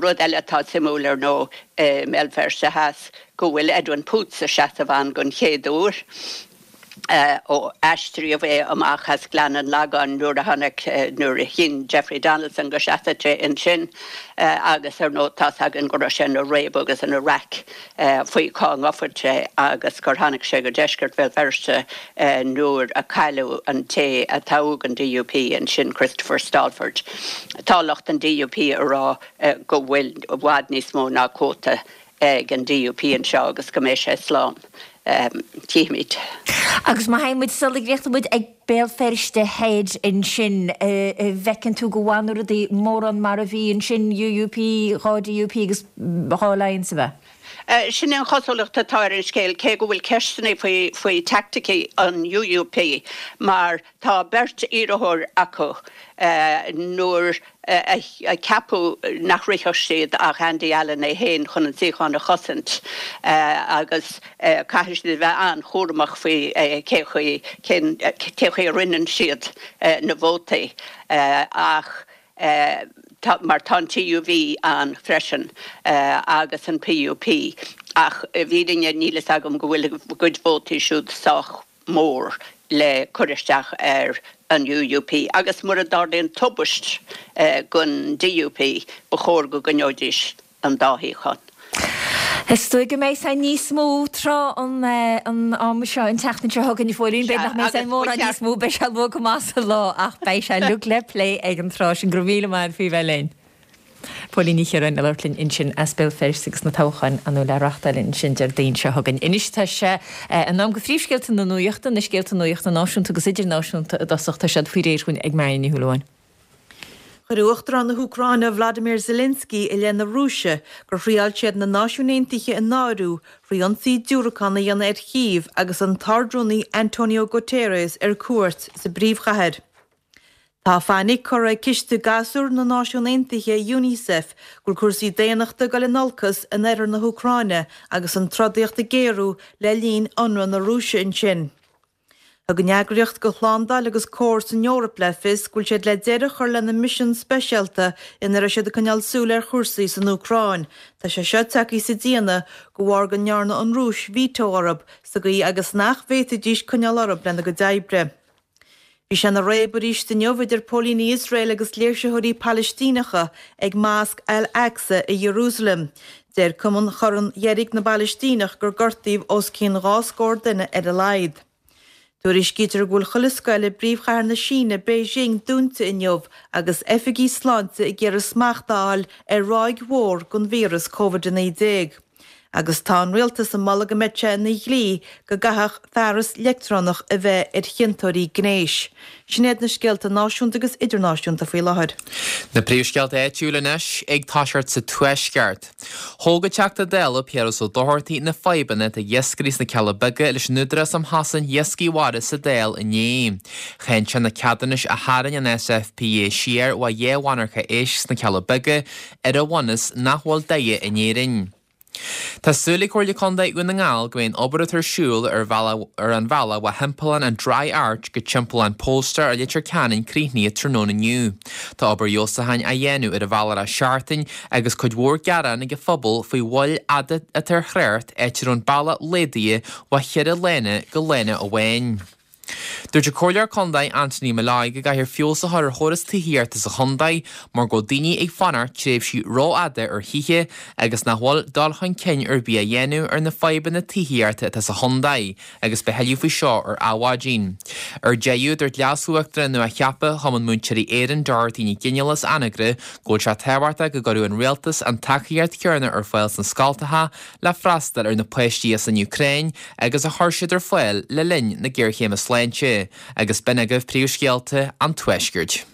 Rud eile atá suimiúil ar ndóigh i mBéal Feirste Theas go bhfuil Edwin Poots ag seasamh ann don chéad uair. ó aistríodh é amach as Gleann an Lagáin nuair a tháinig, nuair a chinn Jeffrey Donaldson go seasfadh sé ansin agus ar ndóigh tá's againn go raibh sé ina réabadh agus ina raic faoi cá ngabhfadh sé agus gur tháinig sé go deisceart Bhéal Feirste nuair a cailleadh an té a toghadh don DUP ansin, Christopher Stalford. Tá lucht an DUP ag rá go bhfuil i bhfad níos mó ná cuóta ag an DUP anseo agus go mbeidh sé slán. Tchífimid. Agus má théann muid sula gcríochnóidh muid ag Béal Feirste Thoir ansin, an bhfeiceann tú go bhfanfaidh rudaí mórán mar a bhí ansin, UUP, 2 DUP agus 2 Alliance, ab ea? Sin an chosúlacht atá ar an scéal, cé go bhfuil ceisteanna faoi faoi teaicticí an UUP mar tá beirt iarrthóir acu nuair a ceapadh nach rithfeadh siad ach Andy Allen é féin chun an suíochán a chosaint agus caithfidh siad a bheith an-chúramach faoi cé chaoi cén chaoi a roinneann siad na vótaí ach mar tá an TUV ann freisin agus an PUP ach i bhfírinne níl fhios agam go bhfuil a gcuid vótaí siúd sách mór le cur isteach ar an UUP agus mura dtarlaíonn tubaist don DUP ba chóir go gcoinneoidís an dá shuíochán. Is dóigh go mbeidh sé níos mó tráth an ama seo an tseachtain seo chugainn, a Phóilín. B'fhéidir nach mbeidh sé mórán níos mó, beidh sé luath go maith sa lá ach beidh sé uilig le plé ag an tráth sin. Go raibh míle maith agat faoi bheith linn. Póilín Ní Chiaráin ag labhairt linn ansin as Béal Feirste agus na toghcháin ar ndóigh le reachtáil ansin Déardaoin seo chugainn. Anois tá sé in am do phríomhscéalta na nuachta, na scéalta nuachta náisiúnta agus idirnáisiúnta i dtosach. Tá siad faoi réir dhúinn ag Marion Ní Shúilleabháin. Chuir Uachtarán na hÚcráine Vladimir Zelensky i leith na Rúise gur thriáil siad na Náisiúin Aontaithe a náiriú thrí ionsaí diúracán a dhéanamh ar Chív agus an tArdrúnaí Antonio Guterres ar cuairt sa bpríomhchathair. Tá fainic curtha ag Ciste Gasúr na Náisiún Aontaithe, Unicef, go bhfuil cúrsaí daonnachta ag dul in olcas in oirthear na hÚcráine agus an trodaíocht ag géarú le linn ionradh na Rúise ansin. Thug an eagraíocht do shlándáil agus comhar san Eoraip le fios go bhfuil siad le deireadh a chur lena misean speisialta ina raibh siad ag coinneáil súil ar chúrsaí san Úcráin. Tá sé seo tagtha sa déanamh de bharr go ndearna an Rúis veto orthu sa gcaoi agus nach bhféadfaidís coinneáil orthu lena gcuid oibre. Bhí sé ina réabadh arís inniu idir póilíní Iosrael agus léirsitheoirí Palaistíneacha ag Masc Al-Aqsa i Iarúsailéim. Deir Cumann Chorn Dheirg na bPalaistíneach gur gortaíodh os cionn 2 scór duine ar a laghad. Tuairiscítear go bhfuil chuile scoil i bpríomhchathair na Síne, Beijing, dúnta inniu agus oifigigh sláinte ag iarraidh smacht a fháil ar ráig mhór den víreas Covid-19. Agus tá an rialtas ag moladh go mbeadh sé ina dhlí go gcaithfeadh fearas leictreonach a bheith ar chiontóirí gnéis. Sin iad na scéalta náisiúnta agus idirnáisiúnta faoi láthair. Na príomhscéalta áitiúla anois ag toiseacht sa Tuaisceart. Thóg an Teachta Dála Piaras Ó Dochartaigh na fadhbanna atá ag iascairí sna Cealla Beaga leis an Údarás um Chosaint Iascaigh Mhara sa Dáil inné. Cháin sé na ceadúnais a tharraing an SFPA siar ó dheich mhonarcha éisc sna Cealla Beaga ar an bhunús nach bhfuil daighe in Éirinn. Tá súil ag Comhairle Contae Dhún na nGall go mbeidh an obair atá ar siúl ar ar an bhealach ó thimpeallán an Dry Arch go timpeallán Polestar i Leitir Ceanainn críochnaithe tráthnóna inniu. Tá obair fheabhsúcháin á dhéanamh ar an bhealach le seachtain agus cuid mhór gearán ag an phobal faoi mhoill fhada atá ar thrácht áit a raibh an bealach laghdaithe ó cheithre lána go lána amháin. Dúirt an Comhairleoir Contae Anthony Molloy go gcaithfear feabhas a chur ar chóras tithíochta sa chontae mar go bhfuil daoine ag fanacht tréimhsí rófhada ar thithe agus nach bhfuil dul chun cinn ar bith á dhéanamh ar na fadhbanna tithíochta atá sa chontae agus beidh thuilleadh faoi seo ar Adhmhaidin. Ar deireadh, dúirt Leas-Uachtarán nua-cheaptha Chumann Múinteoirí Éireann Dorothy Nic Fhionnghaile as Anagaire go bhfuil sé tábhachtach go gcuirfeadh an Rialtas an tacaíocht chéanna ar fáil sna scoltacha le freastal ar na páistí as an Úcráin agus a chuir siad ar fáil le linn na géarchéime sláinte. Sláinte. Agus b'in agaibh príomhscéalta an Tuaiscirt.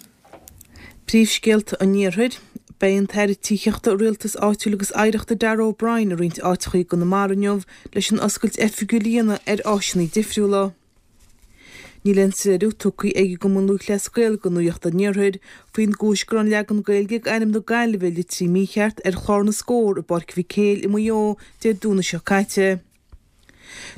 Príomhscéalta an Iarthair. Beidh an tAire Tithíochta, Rialtais Áitiúil agus Oidhreachta Darragh O'Brien i roinnt áiteacha i gConamara inniu leis an oscailt oifigiúil a dhéanamh ar áiseanna difriúla. Níl aon soiléiriú tugtha ag an gCumann Lúthchleas Gael do Nuacht an Iarthair faoin gcúis go raibh an leagan Gaeilge d'ainm na Gaillimhe litrithe mícheart ar chlár na scór i bPáirc Mhic Éil i Maigh Eo Dé Domhnaigh seo caite.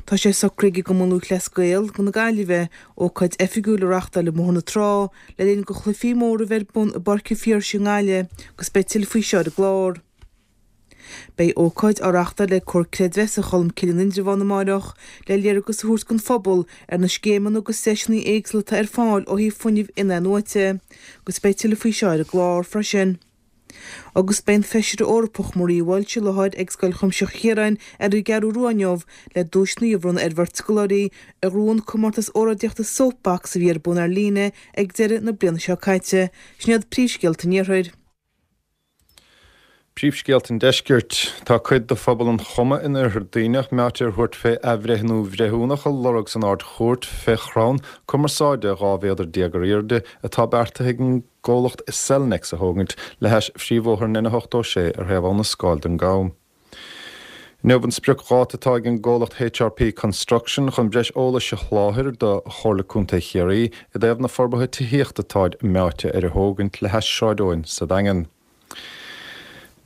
Tá sé socraithe ag an gCumann Lúthchleas Gael na Gaillimhe ócáid oifigiúil a reachtáil i mBóthar na Trá le linn do chluichí móra a bheith ar bun i bPáirc an Phiarsaigh i nGaillimh agus beidh tuilleadh faoi seo ar an gclár. Beidh ócáid á reachtáil ag Comhar Creidmheasa Cholmcille in Indreabhán amáireach le léargas a thabhairt don phobal ar na scéimeanna agus deiseanna éagsúla atá ar fáil ó thaobh fuinnimh in-athnuaite agus beidh tuilleadh faoi seo ar an gclár freisin. Agus beidh an Feisire Eorpach Maria Walsh i láthair ag Scoil Chuimsitheach Chiaráin ar an gCeathrú Rua inniu le duaiseanna a bhronnadh ar bheirt scoláirí a ghnóthaigh an comórtas óráidíochta Soapbox a bhí ar bun ar líne ag deireadh na bliana seo caite. Sin iad príomhscéalta an Iarthair. Príomhscéalta an Deiscirt. Tá cuid de phobal an Choma in Oirthear Duibhneach meáite ar thabhairt fé athbhreithniú bhreithiúnach a lorg san Ard-Chúirt fé chrann cumarsáide 12 mhéadar ar airde atá beartaithe ag an gcomhlacht Cellnex a thógaint le hais phríomhbhóthar an N86 ar thaobh Abha na Scáil den gCam. Inniu an spriocdháta atá ag an gcomhlacht HRP Construction chun breis eolais a sholáthair do Chomhairle Contae Chiarraí i dtaobh na forbartha tithíochta atáid meáite ar a thógaint le hais Sráid Eoin sa Daingean.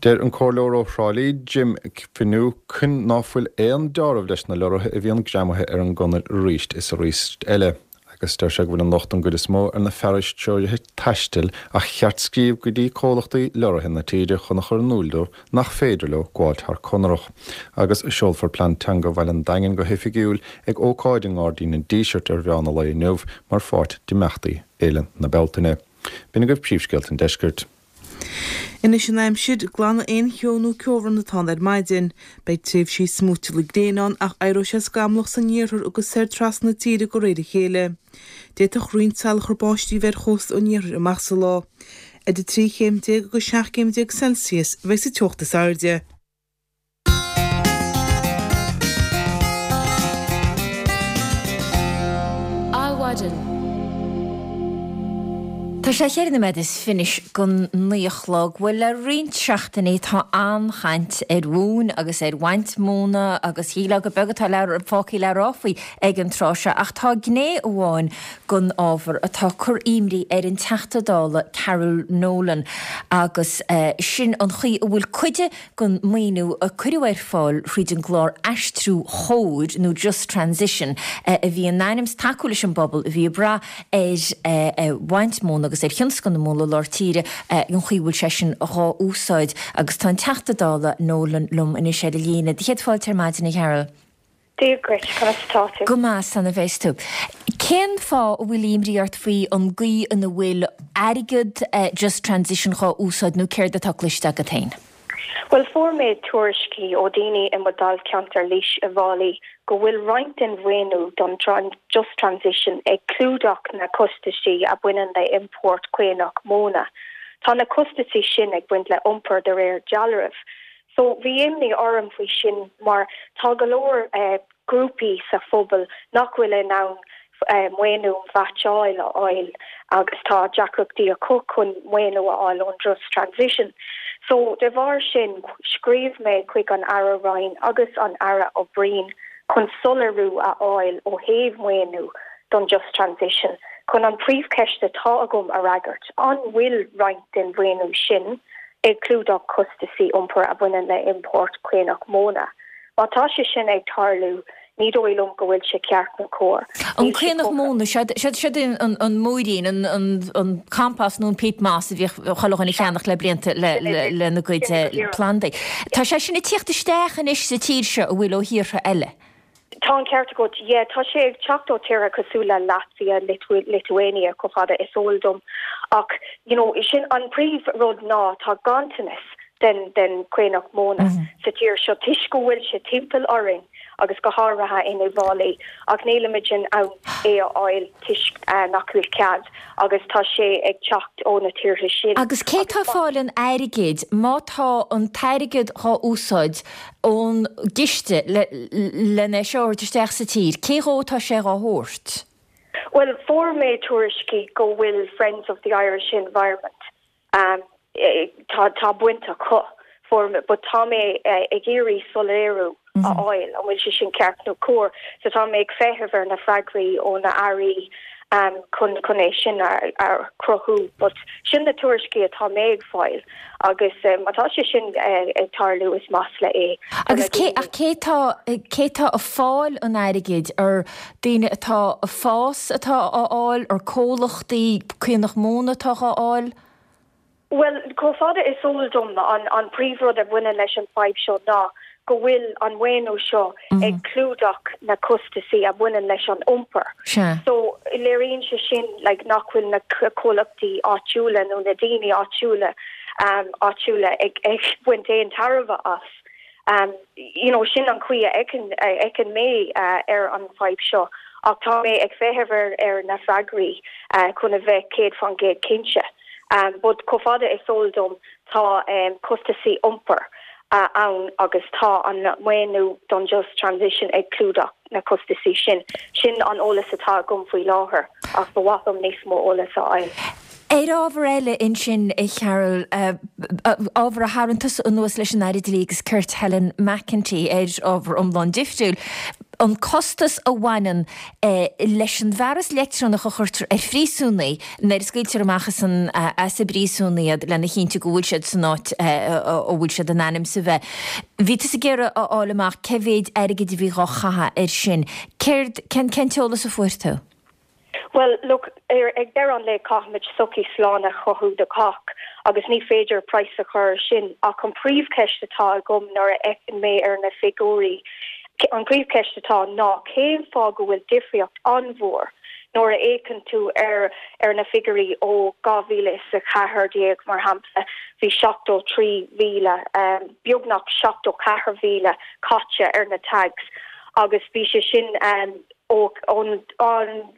Deir an Comhairleoir ó Thrá Lí, Jim Finucane ná fuil aon deáramh leis na lorraithe a bhíonn greamaithe ar an gconair arís is arís eile. Agus deir sé go bhfuil an locht don gcuid is mó ar na fearais treoraithe taistil ach cheart scríobh go dtí comhlachtaí leoraithe na tíre chun a chur in iúl dóibh nach féidir leo gabháilt thar Conarach. Agus seolfar plean teanga Bhaile an Daingin go hoifigiúil ag ócáid i nGairdín an Dísirt ar mheán an lae inniu mar pháirt d'imeachtaí Fhéile na Bealtaine. B'in agaibh príomhscéalta an deiscirt. Anois an aimsir, glanfaidh aon cheo nó ceobhrán atá ann ar maidin. Beidh tréimhsí smúiteála gréine ann ach éireoidh sé scamallach san iarthar agus soir trasna na tíre de réir a chéile. D'fhéadfadh roinnt salachar báistí a bheith ar chósta an iarthair amach sa lá. Idir 13 chéim agus 17 céim Celsius a bheidh sa teocht is airde. Adhmhaidin. Tá sé cheithre nóiméad is fiche don naoi a chlog. Bhuel, le roinnt seachtainí tá an-chaint ar mhóin agus ar bhaint móna agus shílfeá gur beag atá le, fágtha le rá faoi ag an tráth seo ach tá gné amháin den ábhar atá ag cur imní ar an Teachta Dála Carol Nolan agus sin an chaoi a bhfuil cuid den maoiniú a cuireadh ar fáil thríd an gclár Aistriú Chóir nó Just Transition a bhí in ainm is tacú leis an bpobal a bhí ag brath ar bhaint móna agus ar thionscal na móna i lár tíre, an chaoi a bhfuil sé sin dhá úsáid. Agus tá an Teachta Dála Nolan liom anois ar an líne. Do chéad fáilte ar maidin, a Carol. Dia dhuit, conas atá tú? Go maith, san a bheas tú. Cén fáth a bhfuil imní ort faoi an gcaoi ina bhfuil airgead Just Transition dhá úsáid nó céard atá cloiste agat féin? Bhuel, fuair mé tuairiscí ó daoine i mo dáilcheantar Laois Uíbh Fhailí go bhfuil roinnt den mhaoiniú don Just Transition ag clúdach na costaisí a bhaineann le iompórt caonach móna. Tá na costaisí sin ag baint le iompar de réir dealraimh. So bhí imní orm faoi sin mar tá go leor grúpaí sa phobal nach bhfuil in ann maoiniú mheaitseáil a fháil agus tá deacrachtaí acu chun maoiniú a fháil ón Just Transition. So de bharr sin scríobh mé chuig an Aire Ryan agus an Aire O'Brien chun soiléiriú a fháil ó thaobh maoiniú don Just Transition chun an príomhcheist atá agam a fhreagairt, an bhfuil roinnt den mhaoiniú sin ag clúdach costaisí iompair a bhaineann le iompórt caonach móna. Má tá sé sin ag tarlú, ní dóigh liom go bhfuil sé ceart nó cóir. An caonach móna, seod é an múirín, an compost nó an peat moss a bhíodh chuile dhuine a cheannach le blianta lena gcuid plandaí. Tá sé sin ag tíocht isteach anois sa tír seo, an bhfuil, ó thíortha eile? Tá an ceart agat, yeah. Tá sé ag teacht ó tíortha cosúil le Latvia, Lithuania, chomh fada is eol dom. Ach, you know, sin an príomh rud ná tá ganntanas den den chaonach móna sa tír seo toisc go bhfuil sé timpeall orainn agus go háirithe in Uíbh Fhailí ach nílimid in ann é a fháil toisc nach bhfuil cead agus tá sé ag teacht ó na tíortha sin. Agus cé tá ag fáil an airgid má tá an t-airgead dhá úsáid ón gciste len é seo a thabhairt isteach sa tír, cé dhó atá sé dhá thabhairt? Bhuel, fuair mé tuairiscí go bhfuil Friends of the Irish Environment, tá tá baint acu, fuair mé, but tá mé ag iarraidh soiléiriú a fháil an bhfuil sé sin ceart nó cóir. So tá mé ag feitheamh ar na freagraí ó na airí chun chun é sin a a chruthú. But sin na tuairiscí atá mé ag fáil agus má tá sé sin ag tarlú is masla é do na Agus cé ach cé tá cé tá ag fáil an airgid ar daoine atá ag fás atá á fháil, ar comhlachtaí caonach móna atá á fháil? Bhuel, chomh fada is eol dom, an príomhrud a bhaineann leis an fadhb seo ná go bhfuil an maoiniú seo ag clúdach na costasaí a bhaineann leis an iompar. So, léiríonn sé sin like nach bhfuil na comhlachtaí áitiúla nó na daoine áitiúla áitiúla ag ag baint aon tairbhe as. You know, sin an chaoi a fheiceann a fheiceann mé ar an fadhb seo ach tá mé ag feitheamh ar ar na freagraí chun a bheith 100% cinnte. But chomh fada is eol dom tá costasaí iompair ann agus tá an maoiniú don Just Transition ag clúdach na costasaí sin. Sin an eolas atá agam faoi láthair ach ba mhaith liom níos mó eolas a fháil. Ar ábhar eile ansin, a Cheryl, ábhar a tharraing tusa anuas leis an Aire Dlí agus Cirt Helen McEntee ar ábhar iomlán difriúil, an costas a bhaineann leis an bhfearas leictreonach a chuirtear ar phríosúnaigh nuair a scaoiltear amach as an as an bpríosún iad lena chinntiú go bhfuil siad san áit a bhfuil siad in ainm is a bheith. Bhí tusa ag iarraidh a fháil amach cé mhéid airgid a bhí dhá chaitheamh air sin. Céard, cén cén t-eolas a fuair tú? Bhuel, look, ar ag deireadh an lae caithfimid sochaí slán a chothú do chách agus ní féidir praghas a chur air sin ach an príomhcheist atá agam nuair a fheiceann mé ar na figiúirí, an príomhcheist atá ná cén fáth go bhfuil difríocht an-mhór nuair a fhéachann tú ar ar na figiúirí ó 2014 mar shampla bhí 73,000, beagnach 74,000 caite ar na tags agus bhí sé sin Ó an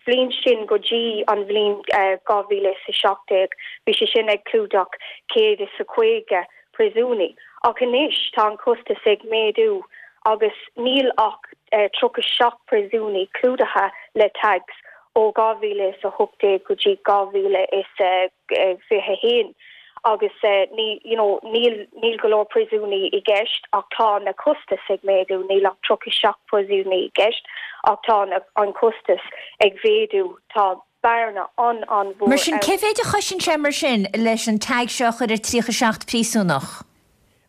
bhliain sin go dtí an bhliain 2017, bhí sé sin ag clúdach 150 príosúnaí. Ach anois tá an costas ag méadú agus níl ach 37 príosúnaí clúdaithe le tags ó 2018 go dtí 2021. Agus ní, you know, níl, níl go leor príosúnaí i gceist ach tá na costais ag méadú, níl ach 37 príosúnaí i gceist ach tá na, an costas ag mhéadú, tá bearna an-an-mhór Mar sin, cé mhéid a chosain sé mar sin leis an tag seo a chur ar 37 príosúnach?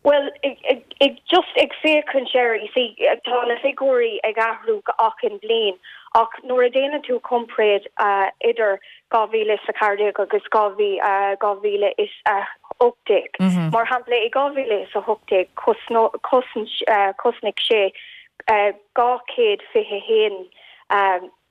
Bhuel, ag just ag féachaint air, you see, tá na figiúirí ag athrú achan bliain ach nuair a déanann tú comparáid idir 2014 agus 2018, mar shampla, i 2018 chosnaigh sé 221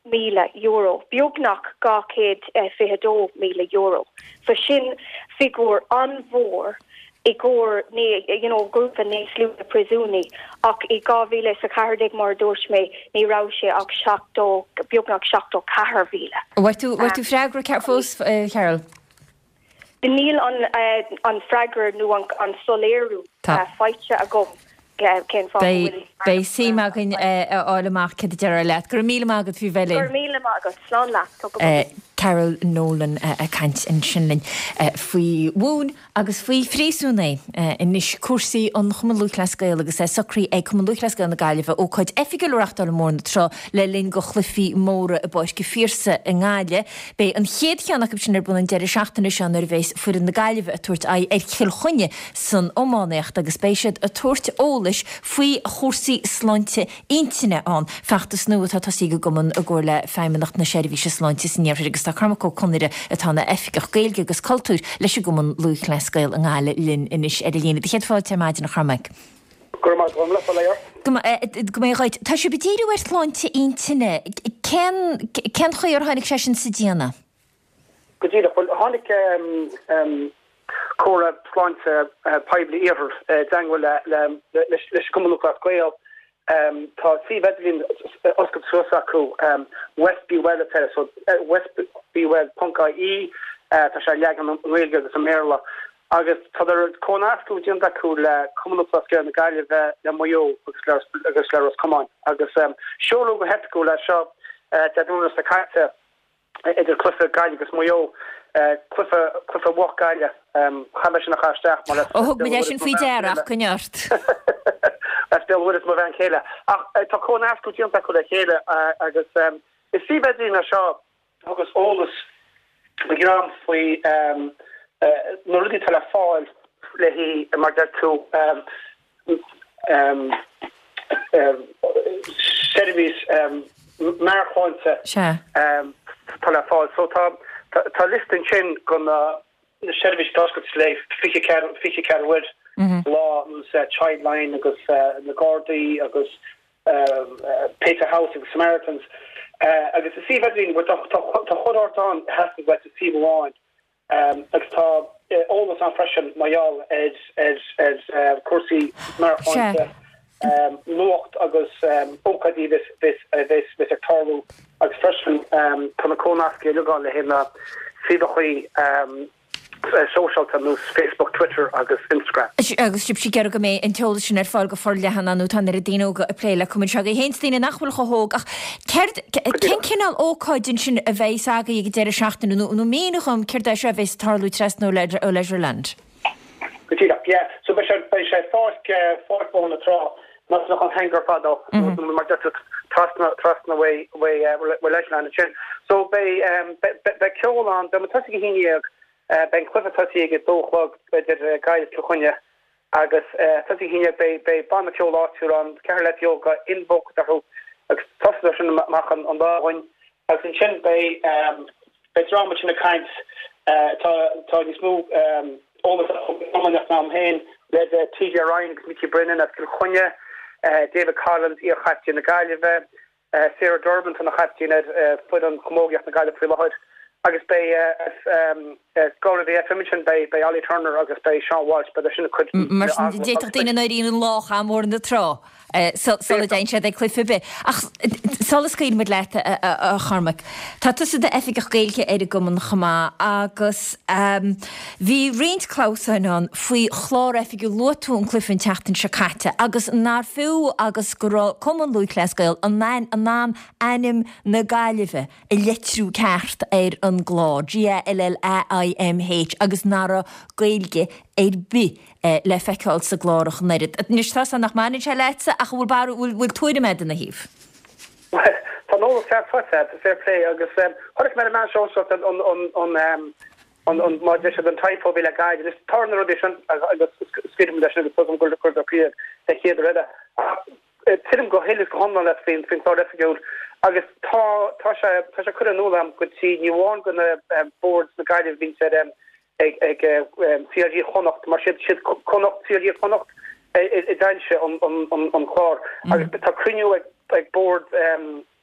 €1,000, beagnach €222,000. So sin figiúr an-mhór i gcomhair you know grúpa níos lú de phríosúnaigh ach i 2014 mar a dúirt mé ní raibh sé ach 70, beagnach 74,000. Bhfuair tú, bhfuair tú freagra fós, Cheryl? Níl an freagra nó an soiléiriú faighte agam cén fáth go bhfuil. Beidh suim againn a fháil amach céard a déarfar leat. Go raibh míle maith agat faoi bheith linn. Go raibh míle maith agat. Slán leat. Tá go maith. Carol Nolan ag caint ansin linn faoi mhóin agus faoi phríosúnaigh. Anois cúrsaí an Chumann Lúthchleas Gael agus é socraithe ag Cumann Lúthchleas Gael na Gaillimhe ócáid oifigiúil a reachtáil i mBóthar na Trá le linn do chluichí móra i bPáirc an Phiarsaigh i nGaillimh. Beidh an chéad cheann acu sin ar bun an deireadh seachtaine seo nuair a bheas foireann na Gaillimhe ag tabhairt aghaidh ar Chill Chainnigh san iománaíocht agus beidh siad ag tabhairt eolais faoi chúrsaí sláinte intinne ann, feachtas nua atá tosaithe ag an gcumann i gcomhar le Feidhmeannacht na Seirbhíse Sláinte san Iarthar agus tá Cormac Ó Conaire atá ina Oifigeach Gaeilge agus Cultúir leis an gCumann Lúthchleas Gael i nGaillimh linn anois ar an líne. Do chéad fáilte ar maidin a Chormaic. Go raibh maith agat, bail ó Dhia ort. Go mbeidh dhuit. Tá sibh ag díriú ar shláinte intinne. Cén, cén chaoi ar tháinig sé sin sa déanamh? Go díreach. Bhuel, tháinig Comhairle Sláinte Poiblí Iarthar i dteangmháil le leis an gCumann Lúthchleas Gael. Tá suíomh idirlín oscailte suas acu, West Be Well atá air, so westbewell ponc ie. Tá sé leagan i nGaeilge agus i mBéarla. Agus tá comhnascadh déanta acu le Cumann Lúthchleas Gael na Gaillimhe, le Maigh Eo agus le Ros Comáin. Agus seoladh go hoifigiúil é seo Dé Domhnaigh seo caite. Idir cluiche Gaillimh agus Maigh Eo, cluiche, cluiche bhocht Gaillimh, chaith mé sin a chur isteach mar Ó thug muid é sin faoi deara ach coinnigh ort. As Béal Mhuirthead mo bhean chéile. Ach tá comhnascadh déanta acu le chéile agus is suíomh idirlín é seo a thugas eolas do dhream faoi na rudaí atá le fáil le haghaidh, mar deir tú, seirbhís meabhairshláinte atá le fáil. So tá tá liosta ansin de na seirbhísí atá oscailte le 24 24 uair sa lá nós Childline agus na Gardaí agus Pieta House agus Samaritans agus is suíomh idirlín tá tá chuile shórt ann a theastaíonn uait i suíomh amháin. Agus tá eolas ann freisin mar gheall ar chúrsaí meabhairshláinte, nuacht agus ócáidí a bheas ag tarlú agus freisin tá na comhnascaí uilig ann le haghaidh na suíomhachaí sóisialta nós Facebook, Twitter agus Instagram. Agus sibhse ag iarraidh go mbeidh an t-eolas sin ar fáil go forleathan nó tá an oiread daoine óga ag plé le cumainn seo agaibh féin 's daoine nach bhfuil chomh hóg ach céard, cén cineál ócáid ansin a bheidhs agaibh ag an deireadh seachtaine nó nó mínigh dhom céard é seo a bheidhs ag tarlú trasna ó Leisureland? Go díreach, yeah. So beidh sé, beidh sé Pháirc, Pháirc Bhóthar na Trá, más nach an Hangar fadó, nó mar deir tú trasna, trasna uaidh, uaidh, uaidh Leisureland ansin. So beidh, beidh, beidh ceol ann, beidh muid tosaithe ag a 11, beidh an cluiche tosaithe ag a dó a chlog idir Gaillimh Cill Chainnigh agus tosaithe ag a 11, beidh, beidh banna ceoil áitiúil ann, ceathrar leaids óga, Invoke orthu agus tosóidh sin amach an lá againn. Agus ansin beidh beidh dream ansin ag caint, tá tá níos mó eolas acu iomaíocht ná mé féin, le TJ Ryan agus Mickey Brennan as Cill Chainnigh, David Collins, iar-chaiptín na Gaillimhe, Sarah Durbin, atá ina chaiptín ar foireann chamógaíocht na Gaillimhe faoi láthair agus beidh Galway FM ansin, beidh beidh Ollie Turner agus beidh Sean Walsh, beidh sin ag cur Mar sin d'fhéadfadh daoine in éirí an lá ag Bóthar na Trá sula dtéann siad ag cluiche ar bith. Ach sula scaoilfidh muid leat, a Chormaic, tá tusa i d'oifigeach Gaeilge ar an gcumann chomh maith agus bhí roinnt clamhsáin ann faoi chlár oifigiúil, luaigh tú an cluiche an tseachtain seo caite agus nár fiú agus go raibh Cumann Lúthchleas Gael in ann ainm na Gaillimhe a litriú ceart ar an gclár, G-A-L-L-A-I-M-H, agus nach raibh Gaeilge ar bith le feiceáil sa gclár ach an oiread. Anois, tá 's agam nach mbaineann sé leatsa ach an bhfuil barúil, bhfuil, bhfuil tuairim agat ina thaobh? Bhuel, tá an eolas ceart faighte agat, fair play, agus chonaic mé ar an meán sóisialta an, an, an, an, an, mar a deir siad, an typo a bhí le Gaillimh. Anois, tarlaíonn na rudaí sin agus scaoilfidh muid leis sin agus tuigim gur, gur gur den chéad uair eile. Ach Tuigim go huile is go hiomlán leat faoin chlár oifigiúil agus tá tá sé tá sé curtha in iúl agam go dtí ní amháin go na boird na Gaillimhe bhíonns ar ag ag CLG Chonnacht mar siad siad Connacht CLG Chonnacht a d'fhoilsigh an an an clár agus tá cruinniú ag ag bord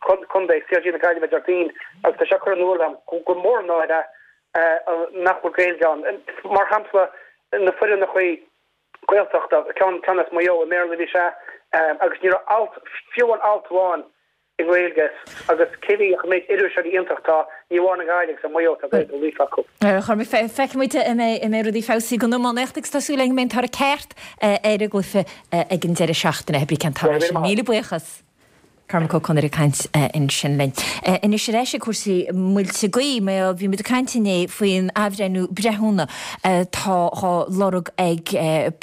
contae CLG na Gaillimhe Déardaoin agus tá sé curtha in iúl agam gur mór an náire nach bhfuil Gaeilge ann. Mar shampla na foireannachaí Gaeltachta, ceann ceann as Maigh Eo, i mBéarla a bhí sé, agus ní raibh alt, fiú amháin alt amháin i nGaeilge agus cé bhí ach an méid iriseoirí iontach atá, ní amháin i nGaillimh agus i Maigh Eo tá Gaeilge líofa acu. A Chormaic, feicfidh muid an mbeidh rudaí feabhsaithe don iománaíocht agus tá súil againn go mbeidh an toradh ceart ar an gcluiche ag an deireadh seachtaine, hé brí cén toradh é sin. Míle buíochas. Cormac Ó Conaire ag caint ansin linn. Anois ar ais ag cúrsaí muilte gaoithe, mar bhí muid ag caint inné faoin athbhreithniú breithiúna atá á lorg ag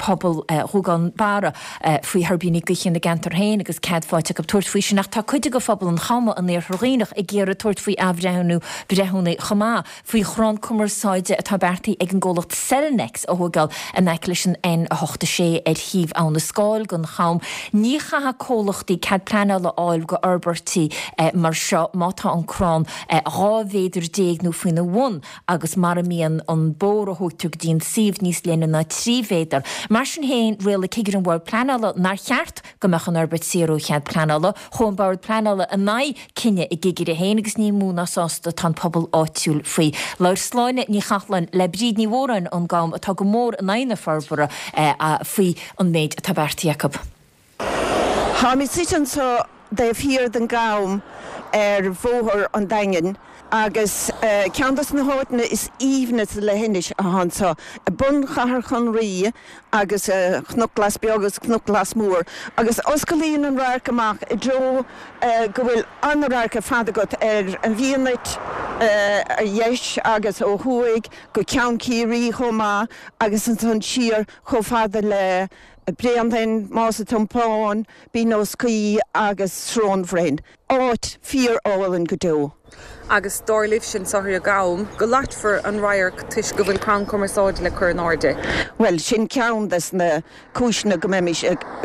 pobal Ghuagán Barra faoi thuirbíní gaoithe ina gceantar féin agus cead faighte acu tabhairt faoi sin ach tá cuid de phobal an Chama in Iarthar Dhuibhneach ag iarraidh tabhairt faoi athbhreithniú breithiúna chomh maith. faoi chrann cumarsáide atá beartaithe ag an gcomhlacht Cellnex a thóigeáil in aice leis an N86 ar thaobh Abha na Scáil den Cham. Ní chaithfidh comhlachtaí cead pleanála a fháil go fhorbairtí mar seo má tá an crann 12 mhéadar nó faoina bhun agus mara mbíonn an bóthar a thógtar go dtí an suíomh níos leithne ná 3 mhéadar. Mar sin féin, rialaigh Cigire an Bhoird Pleanála nár cheart go mbeadh an fhorbairt saor ó chead pleanála. Chuaigh an Bord Pleanála in aghaidh cinneadh a gcigire féin agus ní mó ná sásta atá an pobal áitiúil faoi. Labhair Sláine Ní Chathalláin le Bríd Ní Mhóráin ón gCam atá go mór in aghaidh na forbartha faoi an méid atá beartaithe acu. Táimid suite anseo taobh thiar den gCam ar Bhóthar an Daingin. Agus ceann dos na háiteanna is aoibhne sa leithinis athá anso, bun Chathair Chonraí agus Cnoc Glas Beag agus Cnoc Glas Mór. Agus osclaíonn an radharc amach i dtreo go bhfuil an-radharc ar fad agat ar an bhFianait ar dheis agus ó thuaidh go Ceann Ciarraí chomh maith agus ansan siar chomh fada le Bréanainn, Más an Tiompáin, Binn Ós Caoi agus Srón Bhroin. Áit fíor-álainn go deo. Agus dar libhse anso ar an gCam go loitfear an radharc toisc go bhfuil crann cumarsáide le cur in airde. Bhuel, sin ceann des na cúiseanna go mbeimis,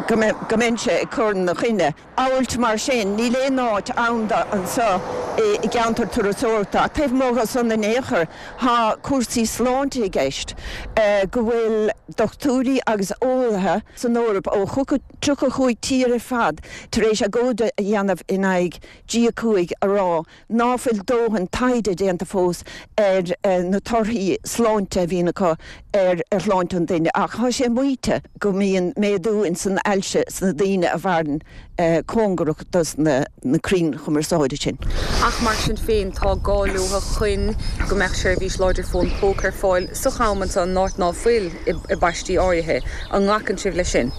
go mbeinnse ag cur ina choinne. Amhailt mar sin, níl aon áit ann do anseo i gceantar turasóireachta. Ach taobh amuigh dhe san in aon chor, tá cúrsaí sláinte i gceist, go bhfuil dochtúirí agus eolaithe san Eoraip ó 35 tír ar fad tar éis agóid a dhéanamh in aghaidh G5 a rá ná fuil dóthain taighde déanta fós ar na torthaí sláinte a bhíonn acu ar shláinte an duine ach tá sé maíte go mbíonn méadú ins an ailse sna daoine a mhaireann cóngarach dos na crainn chumarsáide sin. Ach mar sin féin, tá gá leo chun go mbeadh seirbhís láidir fón póca ar fáil sa Cham anseo in áit ná fuil i bpaistí áirithe. An nglacann sibh leis sin?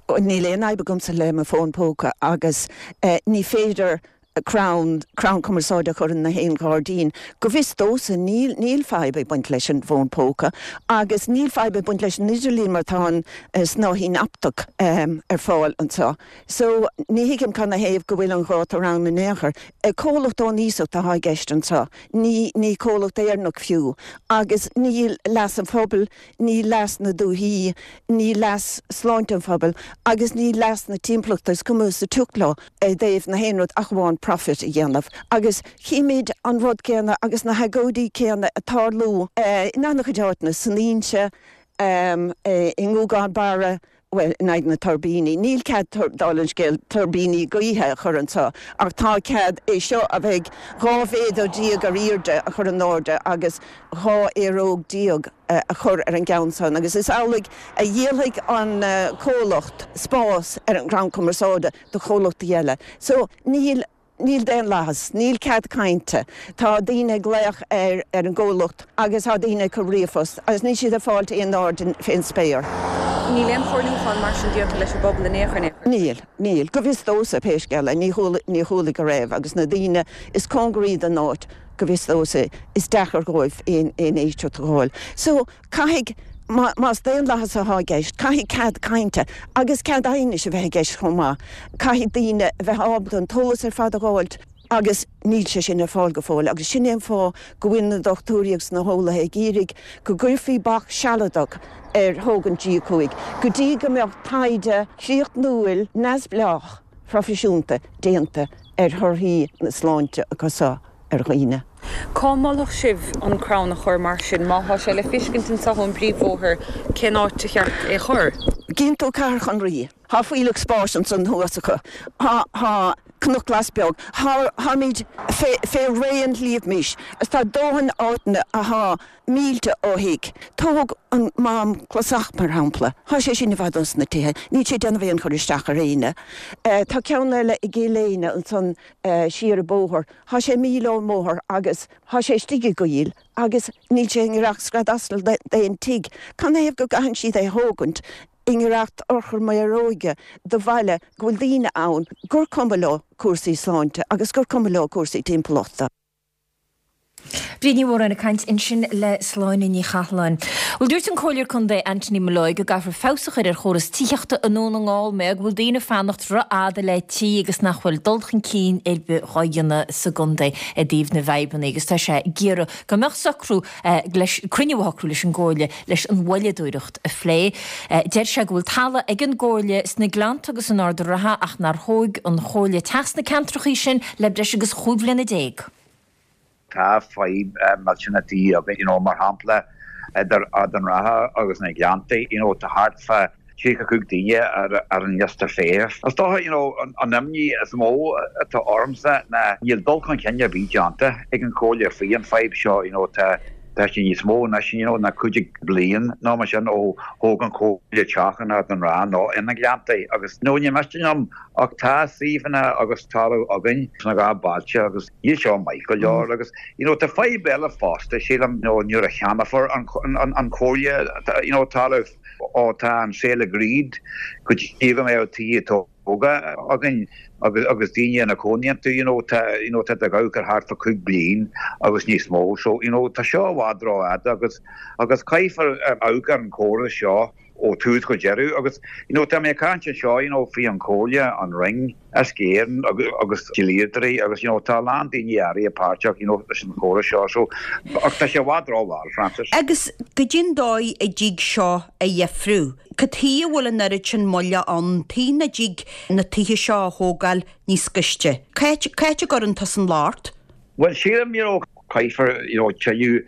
Níl aon fhadhb agamsa le mo fón póca agus ní féidir crann, crann cumarsáide a chur in na haon ghairdín. Go bhfios domhsa níl, níl fadhb ag baint leis an bhfón póca agus níl fadhb ag baint leis an idirlíon mar tá an snáithín optach ar fáil anseo. So, ní thuigim cad 'na thaobh go bhfuil an gátar ann in aon chor. Comhlacht ón iasacht atá i gceist anseo, ní, ní comhlacht Éireannach fiú. Agus níl leas an phobail, ní leas na dúichí, ní leas sláinte an phobail agus ní leas na timpeallachta, is cuma sa tsioc leo i dtaobh na haon rud ach amháin profit a dhéanamh. Agus chímid an rud céanna agus na hagóidí céanna ag tarlú in an-chuid áiteanna, san Inse, i nGúgán Barra, bhuel, in aghaidh na tuirbíní. Níl cead, dála an scéil, tuirbíní gaoithe a chur anseo ach tá cead é seo a bheidh 12 mhéadar ar airde a chur in airde agus 12 aeróg a chur ar an gceann san agus is amhlaidh a dhíolfaidh an comhlacht spás ar an gcrann cumarsáide do chomhlachtaí eile. So, níl. Níl daonlathas, níl cead cainte, tá daoine ag glaoch ar ar an gcomhlacht agus tá daoine ag cur ríomhphost agus níl siad ag fáilt aon aird fén spéir. Níl aon chomhairliúchán mar sin déanta leis an bpobal in aon chor? Níl, níl. Go bhfios domhsa, pé scéal é, ní chuala, ní chuala go raibh agus na daoine is cóngaraí don áit, go bhfios domhsa, is deacair dhóibh aon aon éisteacht a dh'fháil. So, Caithfidh, más daonlathas atá i gceist, caithfidh cead cainte agus cead aighnis a bheith i gceist chomh maith. Caithfidh daoine a bheith ábalta an t-eolas ar fad a dh'fháilt agus níl sé sin ar fáil go fóill agus sin é an fáth go bhfuil na dochtúirí agus na heolaithe ag iarraidh go gcuirfí bac sealadach ar thógaint G5 go dtí go mbeadh taighde críochnúil neamhspleách proifisiúnta déanta ar thorthaí na sláinte acu seo. ar dhaoine. Cá molfadh sibh an crann a chur mar sin? Má thá sé le fiscint anso ón bpríomhbhóthar, cén áit a cheart é chur? Gcíonn tú Cathair Chonraí. Thá fuílleach spáis ansan thuas acu. Thá, thá Cnoc Glas Beag. Thá, tháimid fé, fé raon Shliabh Mis. Is tá dóthain áiteanna athá mílte ó thigh. Tóg an Mám Clasach, mar shampla. Thá sé sin i bhfad os na tithe. Níl sé ag déanamh aon chur isteach ar éinne. Tá ceann eile i gCill Éinne ansan siar an bóthar. Thá sé míle ón mbóthar agus thá sé istigh i gcoill agus níl sé i ngiorracht scread asail d'aon tigh. Canathaobh go gcaitheann siad é thógaint i ngiorracht urchar méaróige do bhaile go bhfuil daoine ann gur cuma leo cúrsaí sláinte agus gur cuma leo cúrsaí timpeallachta. Bríd Ní Mhóráin ag caint ansin le Sláine Ní Chathalláin. Bhuel, dúirt an Comhairleoir Contae Anthony Molloy go gcaithfear feabhas a chur ar chóras tithíochta i nDún na nGall mar go bhfuil daoine ag fanacht rófhada le tí agus nach bhfuil dul chun cinn ar bith dhá dhéanamh sa gcontae i dtaobh na bhfadhbanna agus tá sé ag iarraidh go mbeadh socrú leis, cruinniú a shocrú leis an gComhairle leis an mhoilleadóireacht a phlé. Deir sé go bhfuil talamh ag an gComhairle sna Gleannta agus in Ard an Rátha ach nár thóg an Chomhairle teach sna ceantrachaí sin le breis agus chúig bhliana déag. Tá fadhb millteanach tí againn, you know, mar shampla, idir Ard an Rátha agus na Gleanntaí, you know, tá thart fá 35 daoine ar an liosta feithimh. Is dócha, you know, an imní is mó atá ormsa ná níl dul chun cinn ar bith déanta ag an Chomhairle faoi an fadhb seo, you know, tá. Tá sé níos mó anois, you know, ná 50 bliain nó mar sin ó thóg an Chomhairle teach in Ard an Rátha nó i na Gleanntaí agus, you know, ní miste liom ach tá suíomhanna agus talamh againn sna dhá bailte agus níl seo maith go leor agus, you know, tá fadhb eile fosta, sílim, you know, nuair a cheannófar an, an, an Chomhairle, you know, talamh ó tá an sale agreed go dtí go mbeadh tithe tógtha againn agus agus daoine ina cónaí iontu you know tá you know tá tú ag amharc ar thart fá 5 bliain agus níos mó so you know tá seo i bhfad rófhada agus agus caithfear amharc ar an chóras seo ó tús go deireadh agus you know tá mé ag caint anseo you know faoi an Chomhairle, an Roinn, Uisce Éireann agus agus dlíodóirí agus you know tá a lán daoine áirithe páirteach you know leis an chóras seo so ach tá sé i bhfad rómhall, Francis. Agus goidé an dóigh a dtig seo a dheifriú? Cad chuige a bhfuil an oiread sin moille ann? Tuige nach dtig na tithe seo a thógáil níos gaiste? Cá háit a gcuireann tusa an locht? Bhuel, sílim, you know, caithfear, you know, tuilleadh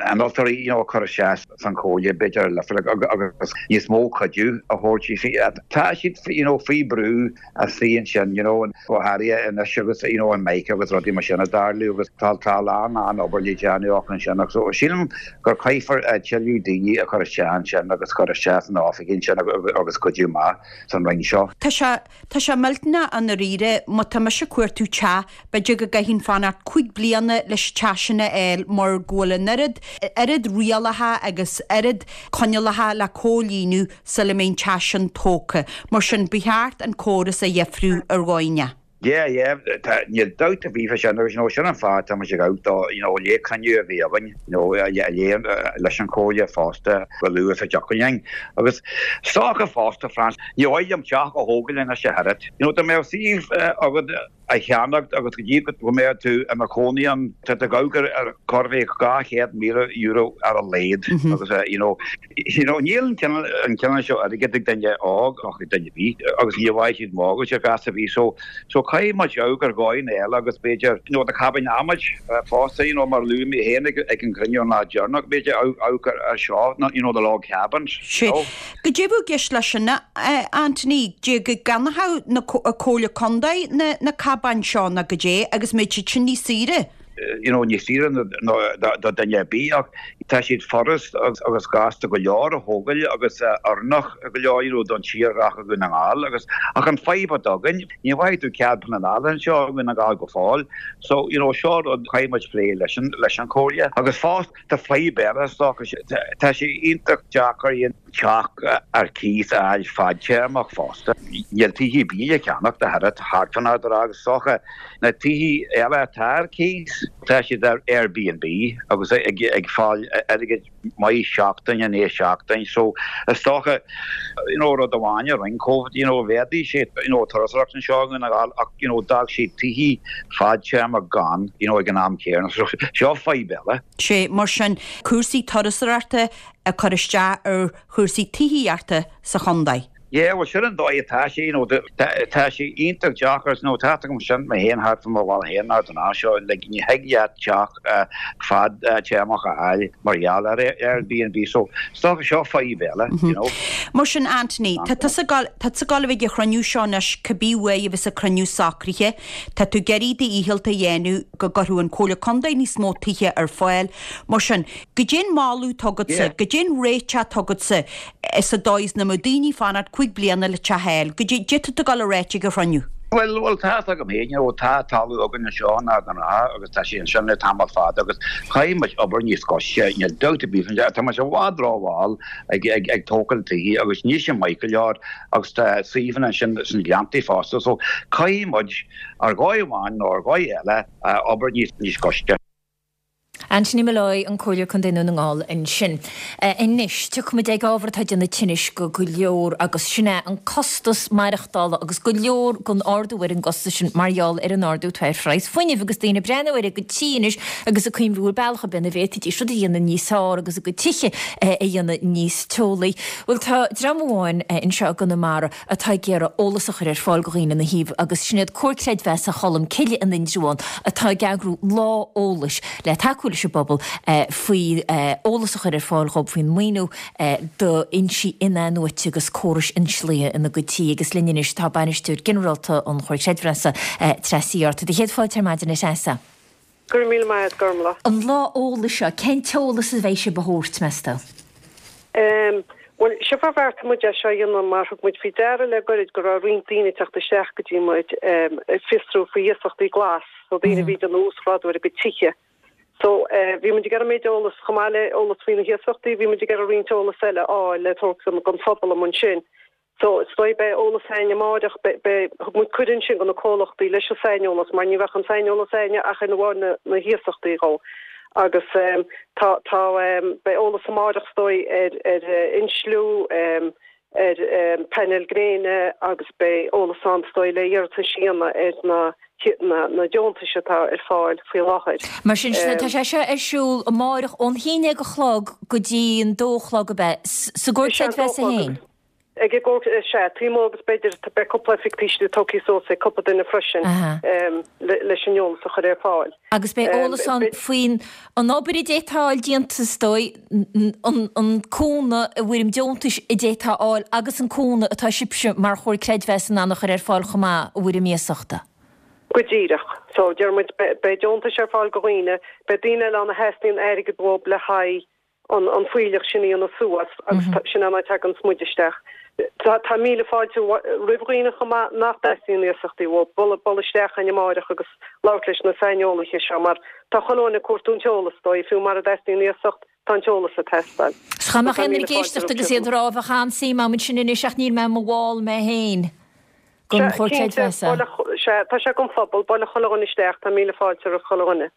innealtóirí, you know, a chur isteach san chomhairle, b'fhéidir, agus níos mó cuidiú a thabhairt. Tá siad, you know, faoi brú istigh ansin, you know, go háirithe anois agus, you know, an Mica agus rudaí mar sin ag tarlú agus tá tá a lán lán obair le déanamh acu ansin ach so sílim gur caithfear tuilleadh daoine a chur isteach ansin agus cur isteach san oifig ansin agus cuidiú maith san roinn seo. Tá sé tá sé millteanach i ndáiríre má tá mise ag cuartú teach b'fhéidir go gcaithfinn fanacht 5 bliana leis an teach sin a fháil mar go bhfuil an oiread oiread rialacha agus oiread coinníollacha le comhlíonadh sula mbeidh an teach sin tógtha. Mar sin, ba cheart an córas a dheifriú ar dhóigh. Yeah, yeah, tá, níl dabht ar bith fá sin agus you know sin an fáth atá muid ag gabháil do, you know, le cruinniú a bhí againn, you know, le, leis an Chomhairle fosta chomh luath is a dtiocfadh linn. Agus is dócha fosta, Frances, ní mhaith liom teach a thógáil anois ach oiread. You know, dá mbeadh suíomh agat a cheannacht agus go dtí go mbeadh tú ina chónaí ann, tá tú ag amharc ar chóir a bheith €200,000 ar a laghad agus you know, you know níl an cineál an cineál seo airgid ag duine óg ach ag duine ar bith agus ní bhfaighidh siad mortgage ar ghas ar bith so so caithfidh muid amharc ar dhóigheanna eile agus b'fhéidir you know na cabáin adhmaid fosta you know mar a luaigh mé féin ag ag an gcruinniú an lá deireanach b'fhéidir amharc ar ar seo you know the log cabins you know. Goidé a bheadh i gceist leis sin, a Anthony, goidé go gceannódh na Comhairle Contae na cabáin seo nó goidé agus mbeadh siad sin níos saoire? You know, níos saoire ná do duine ar bith ach tá siad furast agus gasta go leor a thógáil agus oiriúnach go leor you know don tírdhreach i Dhún na nGall agus ach an fadhb atá againn ní bhfaighidh tú cead pleanála anseo i nDún na nGall go fóill so you know seo rud caithfidh muid plé leis an leis an Chomhairle agus fosta Tá fadhb eile is dócha, tá sé iontach deacair teach ar cíos a fháil fadtéarmach fosta. Níl tithe ar bith le ceannacht ach oiread thart fán Ard an Rátha agus is dócha na tithe eile atá ar cíos, tá siad ar Airbnb agus ag fáil airgead maith seachtain i ndiaidh seachtain so is dócha you know rud amháin a rinne Covid you know mhéadaigh sé you know turasóireacht anseo i nDún na nGall ach you know d'fhág sé tithe fadtéarmach gann you know ag an am céanna so seo fadhb eile. Sé mar sin cúrsaí turasóireachta ag cur isteach ar chúrsaí tithíochta sa chontae. Yeah bhuel sin an dóigh atá sé you know tá sé iontach deacair you know tá agam sin mé féin thart fá mo bhaile féin in Ard an Rátha seo like ní thig leat teach fadtéarmach a fháil mar gheall ar Airbnb so is dócha seo fadhb eile you know. Mar sin Anthony tá tusa ag gabháil tá tusa ag gabháil a bheith ag an chruinniú seo anois cibé uair a bheas an cruinniú socraithe Tá tú ag iarraidh do dhícheall a dhéanamh go gcuirfeadh an Comhairle Contae níos mó tithe ar fáil. Mar sin, goidé an moladh atá agatsa, goidé an réiteach atá agatsa sa dóigh is nach mbeadh daoine ag fanacht 5 bliana le teach a fháil? Goidé tá tú ag gabháil a ráit ag an chruinniú? Bhuel, bhuel, tá fhios agam féin, you know, tá talamh againn anseo in Ard an Rátha agus tá sé ansin le tamall fada agus caithfidh muid obair níos gaiste, níl dabht ar bith faoi, tá muid i bhfad rómhall ag, ag, ag tógáil tithe agus níl sé maith go leor agus tá suíomhanna ansin sna Gleanntaí fosta so caithfidh muid ar dhóigh amháin nó ar dhóigh eile obair níos gaiste. Anthony Molloy, an Comhairleoir Contae Dhún na nGall ansin. Anois, tiocfaimid ag ábhar atá ag déanamh tinnis go go leor agus sin é an costas maireachtála agus go leor den ardú ar an gcostas sin mar gheall ar an ardú atá ar phraghas fuinnimh agus daoine ag breathnú ar a gcuid tí anois agus ag cuimhniú ar bealach ar bith ina bhféadfaidís rud a dhéanamh níos fearr agus a gcuid tithe a dhéanamh níos teolaí. Bhuel, tá dream amháin anseo i gConamara atá ag iarraidh eolas a chur ar fáil do dhaoine ina thaobh agus sin iad Comhar Creidmheasa Cholm Cille in Indreabhán atá ag eagrú lá eolais le tacú leis an bpobal faoi eolas a chur ar fáil dhóibh faoin maoiniú d'fhoinsí in-athnuaite agus córais inslithe ina gcuid tí agus linn anois tá Bainisteoir Ginearálta an Chomhair Creidmheasa, Treasa Uí Fhátharta. Céad fáilte ar maidin a Threasa. Go raibh míle maith agat, Gormlaith. An lá eolais seo, cén t-eolas a bheidh sibh a thabhairt, meas tú? Em, bhuel, seo mar bheartaigh muid é seo a dhéanamh mar thug muid faoi deara le goirid go raibh roinnt daoine ag teacht isteach go dtí muid, em, ag fiosrú faoi iasachtaí glas, so daoine a bhí ag déanamh uasghrádú ar a gcuid tithe. So, eh, bhí muid ag iarraidh méid eolas, chomh maith le eolas faoi na hiasachtaí, bhí muid ag iarraidh roinnt eolas eile a fháil le tabhairt don phobal amuigh ansin. So, is dóigh beidh eolas a'inn amáireach, beidh, beidh, thug muid cuireadh ansin go na comhlachtaí leis an saineolas mar ní bheadh an saineolas a'inne ach ar amháin na, na hiasachtaí dhó. Agus, eh, tá, tá, eh, beidh eolas amáireach is dóigh ar, ar, eh, insliú, eh, ar painéil gréine agus beidh eolas ann is dóigh le iarratais a dhéanamh ar na na deontais atá ar fáil faoi láthair. Mar sin, tá sé seo ar siúl amáireach ón haon déag a chlog go dtí an dó a chlog ab ea? Sa gComhar Creidmheasa féin? Ag an gComhar, sea, taobh amuigh agus b'fhéidir beidh cúpla oifig taoisigh tógtha suas ag cúpla duine freisin leis an eolas a chur ar fáil. Agus beidh eolas ann faoin an obair a d'fhéadfá a fháil déanta is dóigh, an cúnamh i bhfoirm deontais a d'fhéadfá a fháil agus an cúnamh atá sibhse mar Chomhar Creidmheasa in ann a chur ar fáil chomh maith i bhfoirm iasachta. Go díreach. So, deir muid, beidh deontais ar fáil go dhaoine, beidh daoine eile ann a theastaíonn airgead uathu le haghaidh an fuílleach sin a dhéanamh suas agus sin an áit a dtaganns muid isteach. Tá míle fáilte roimh dhaoine chomh maith nach dteastaíonn iasachtaí uathu, bualadh isteach a'inn amáireach agus labhairt leis na saineolaithe seo mar tá chuile dhuine ag cuartú an t-eolas is dóigh, fiú mara dteastaíonn iasacht, tá an t-eolas ag teastáil. 'S dá mbeadh aon duine ag éisteacht agus iad ag rá bheadh an-suim a'm ansin anois ach níl mé i mo bhall mé féin den Chomhar Creidmheasa. Sea, tá sé don phobal, bualadh chuile dhuine isteach, tá míle fáilte roimh chuile dhuine.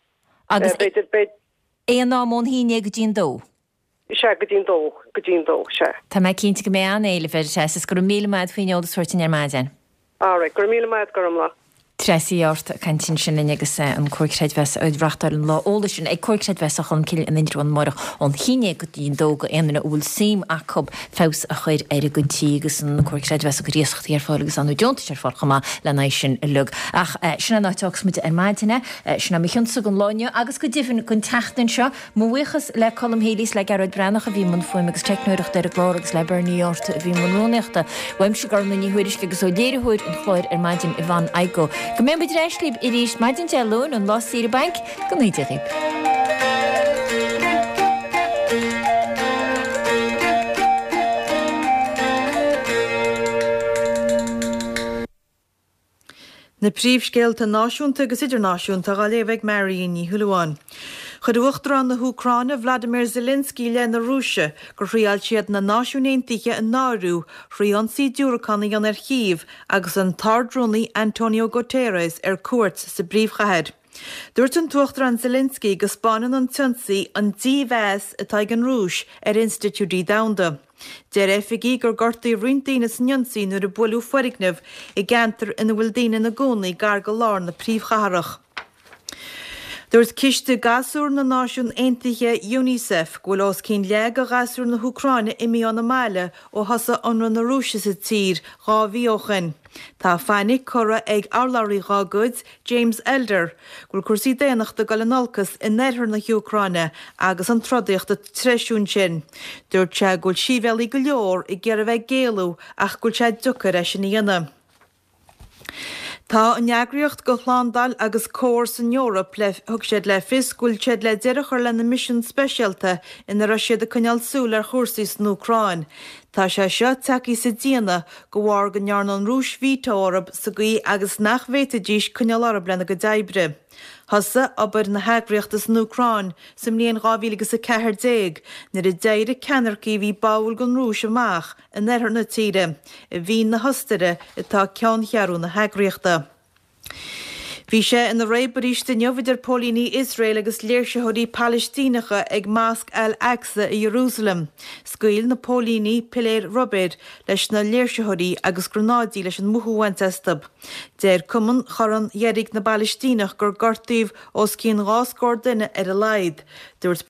Agus b'fhéidir, Aon am ón haon déag go dtí an dó? Sea, go dtí an dó, go dtí an dó, sea. Tá mé cinnte go mbeidh an-éileamh air, a Threasa, is go raibh míle maith agat faoin eolas a thabhairt dúinn ar maidin. Alright, go raibh míle maith agat, Gormlaith. Treasa Uí Fhátharta ag caint ansin linn agus an Comhar Creidmheasa ag reachtáil an lá eolais sin ag Comhar Creidmheasa Cholmcille in Indreabhán amárach ón haon déag go dtí an dó go aon duine a bhfuil suim acu feabhas a chur ar a gcuid tí agus an Comhar Creidmheasa ag cur iasachtaí ar fáil agus ar ndóigh deontais ar fáil chomh maith lena aghaidh sin uilig. Ach sin an áit a fhágfas muid ar maidin é. Sin é mo chionsa don lá inniu agus go deimhin don tseachtain seo. Mo bhuíochas le Colm Healy is le Gearóid Breathnach a bhí i mbun fuaime agus teicneoireachta ar an gclár agus le Bernie Ó Fhátharta a bhí i mbun rúnaíochta. Uaimse Gormlaith Ní Thuairisg agus ó léiritheoir an chláir ar maidin Yvonne Igoe. Go mbeidh muid ar ais libh arís maidin Dé Luain, an lá saoire bainc, go dtí Dia dhaoibh. Na príomhscéalta náisiúnta agus idirnáisiúnta á léamh ag Marion Ní Shúilleabháin. Chuir Uachtarán na hÚcráine Vladimir Zelensky i leith na Rúise gur thriáil siad na Náisiúin Aontaithe a náiriú thrí ionsaí diúracán a dhéanamh ar Chív agus an tArd-Rúnaí Antonio Guterres ar cuairt sa bpríomhchathair. Dúirt an tUachtarán Zelensky go 'spáineann an t-ionsaí an dímheas atá ag an Rúis ar institiúidí domhanda. Deir oifigigh gur gortaíodh roinnt daoine san ionsaí nuair a buaileadh foirgneamh i gceantar ina bhfuil daoine ina gcónaí gar go lár na príomhchathrach. Dúirt Ciste Gasúr na Náisiún Aontaithe, Unicef, go bhfuil os cionn leath de ghasúir na hÚcráine imithe óna mbaile ó thosaigh ionradh na Rúise sa tír 2 mhí ó shin. Tá fainic curtha ag urlabhraí dá gcuid, James Elder, go bhfuil cúrsaí daonnachta ag dul in olcas in oirthear na hÚcráine agus an trodaíocht ag treisiú ansin. Dúirt sé go bhfuil síbhéalaigh go leor ag iarraidh a bheith ag éalú ach go bhfuil sé deocair é sin a dhéanamh. Tá an Eagraíocht do Shlándáil agus Comhar san Eoraip le thug siad le fios go bhfuil siad le deireadh a chur lena misean speisialta ina raibh siad ag coinneáil súil ar chúrsaí san Úcráin. Tá sé seo tagtha sa déanamh de bharr go ndearna an Rúis veto orthu sa gcaoi agus nach bhféadfaidís coinneáil orthu lena gcuid oibre. Thosaigh obair na heagraíochta san Úcráin sa mbliain 2014 nuair a d'éirigh ceannaircigh a bhí báúil don Rúis amach in oirthear na tíre. I Vín na hOstaire atá ceanncheathrú na heagraíochta. Bhí sé ina réab arís inniu idir póilíní Iosrael agus léirsitheoirí Palaistíneacha ag Mosc Al-Aqsa i Iarúsailéim. Scaoil na póilíní piléir rubair leis na léirsitheoirí agus gránáidí leis an mothú a bhaint astu. Deir Cumann Chorn Dheirg na bPalaistíneach gur gortaíodh os cionn 2 scór duine ar a laghad. Dúirt.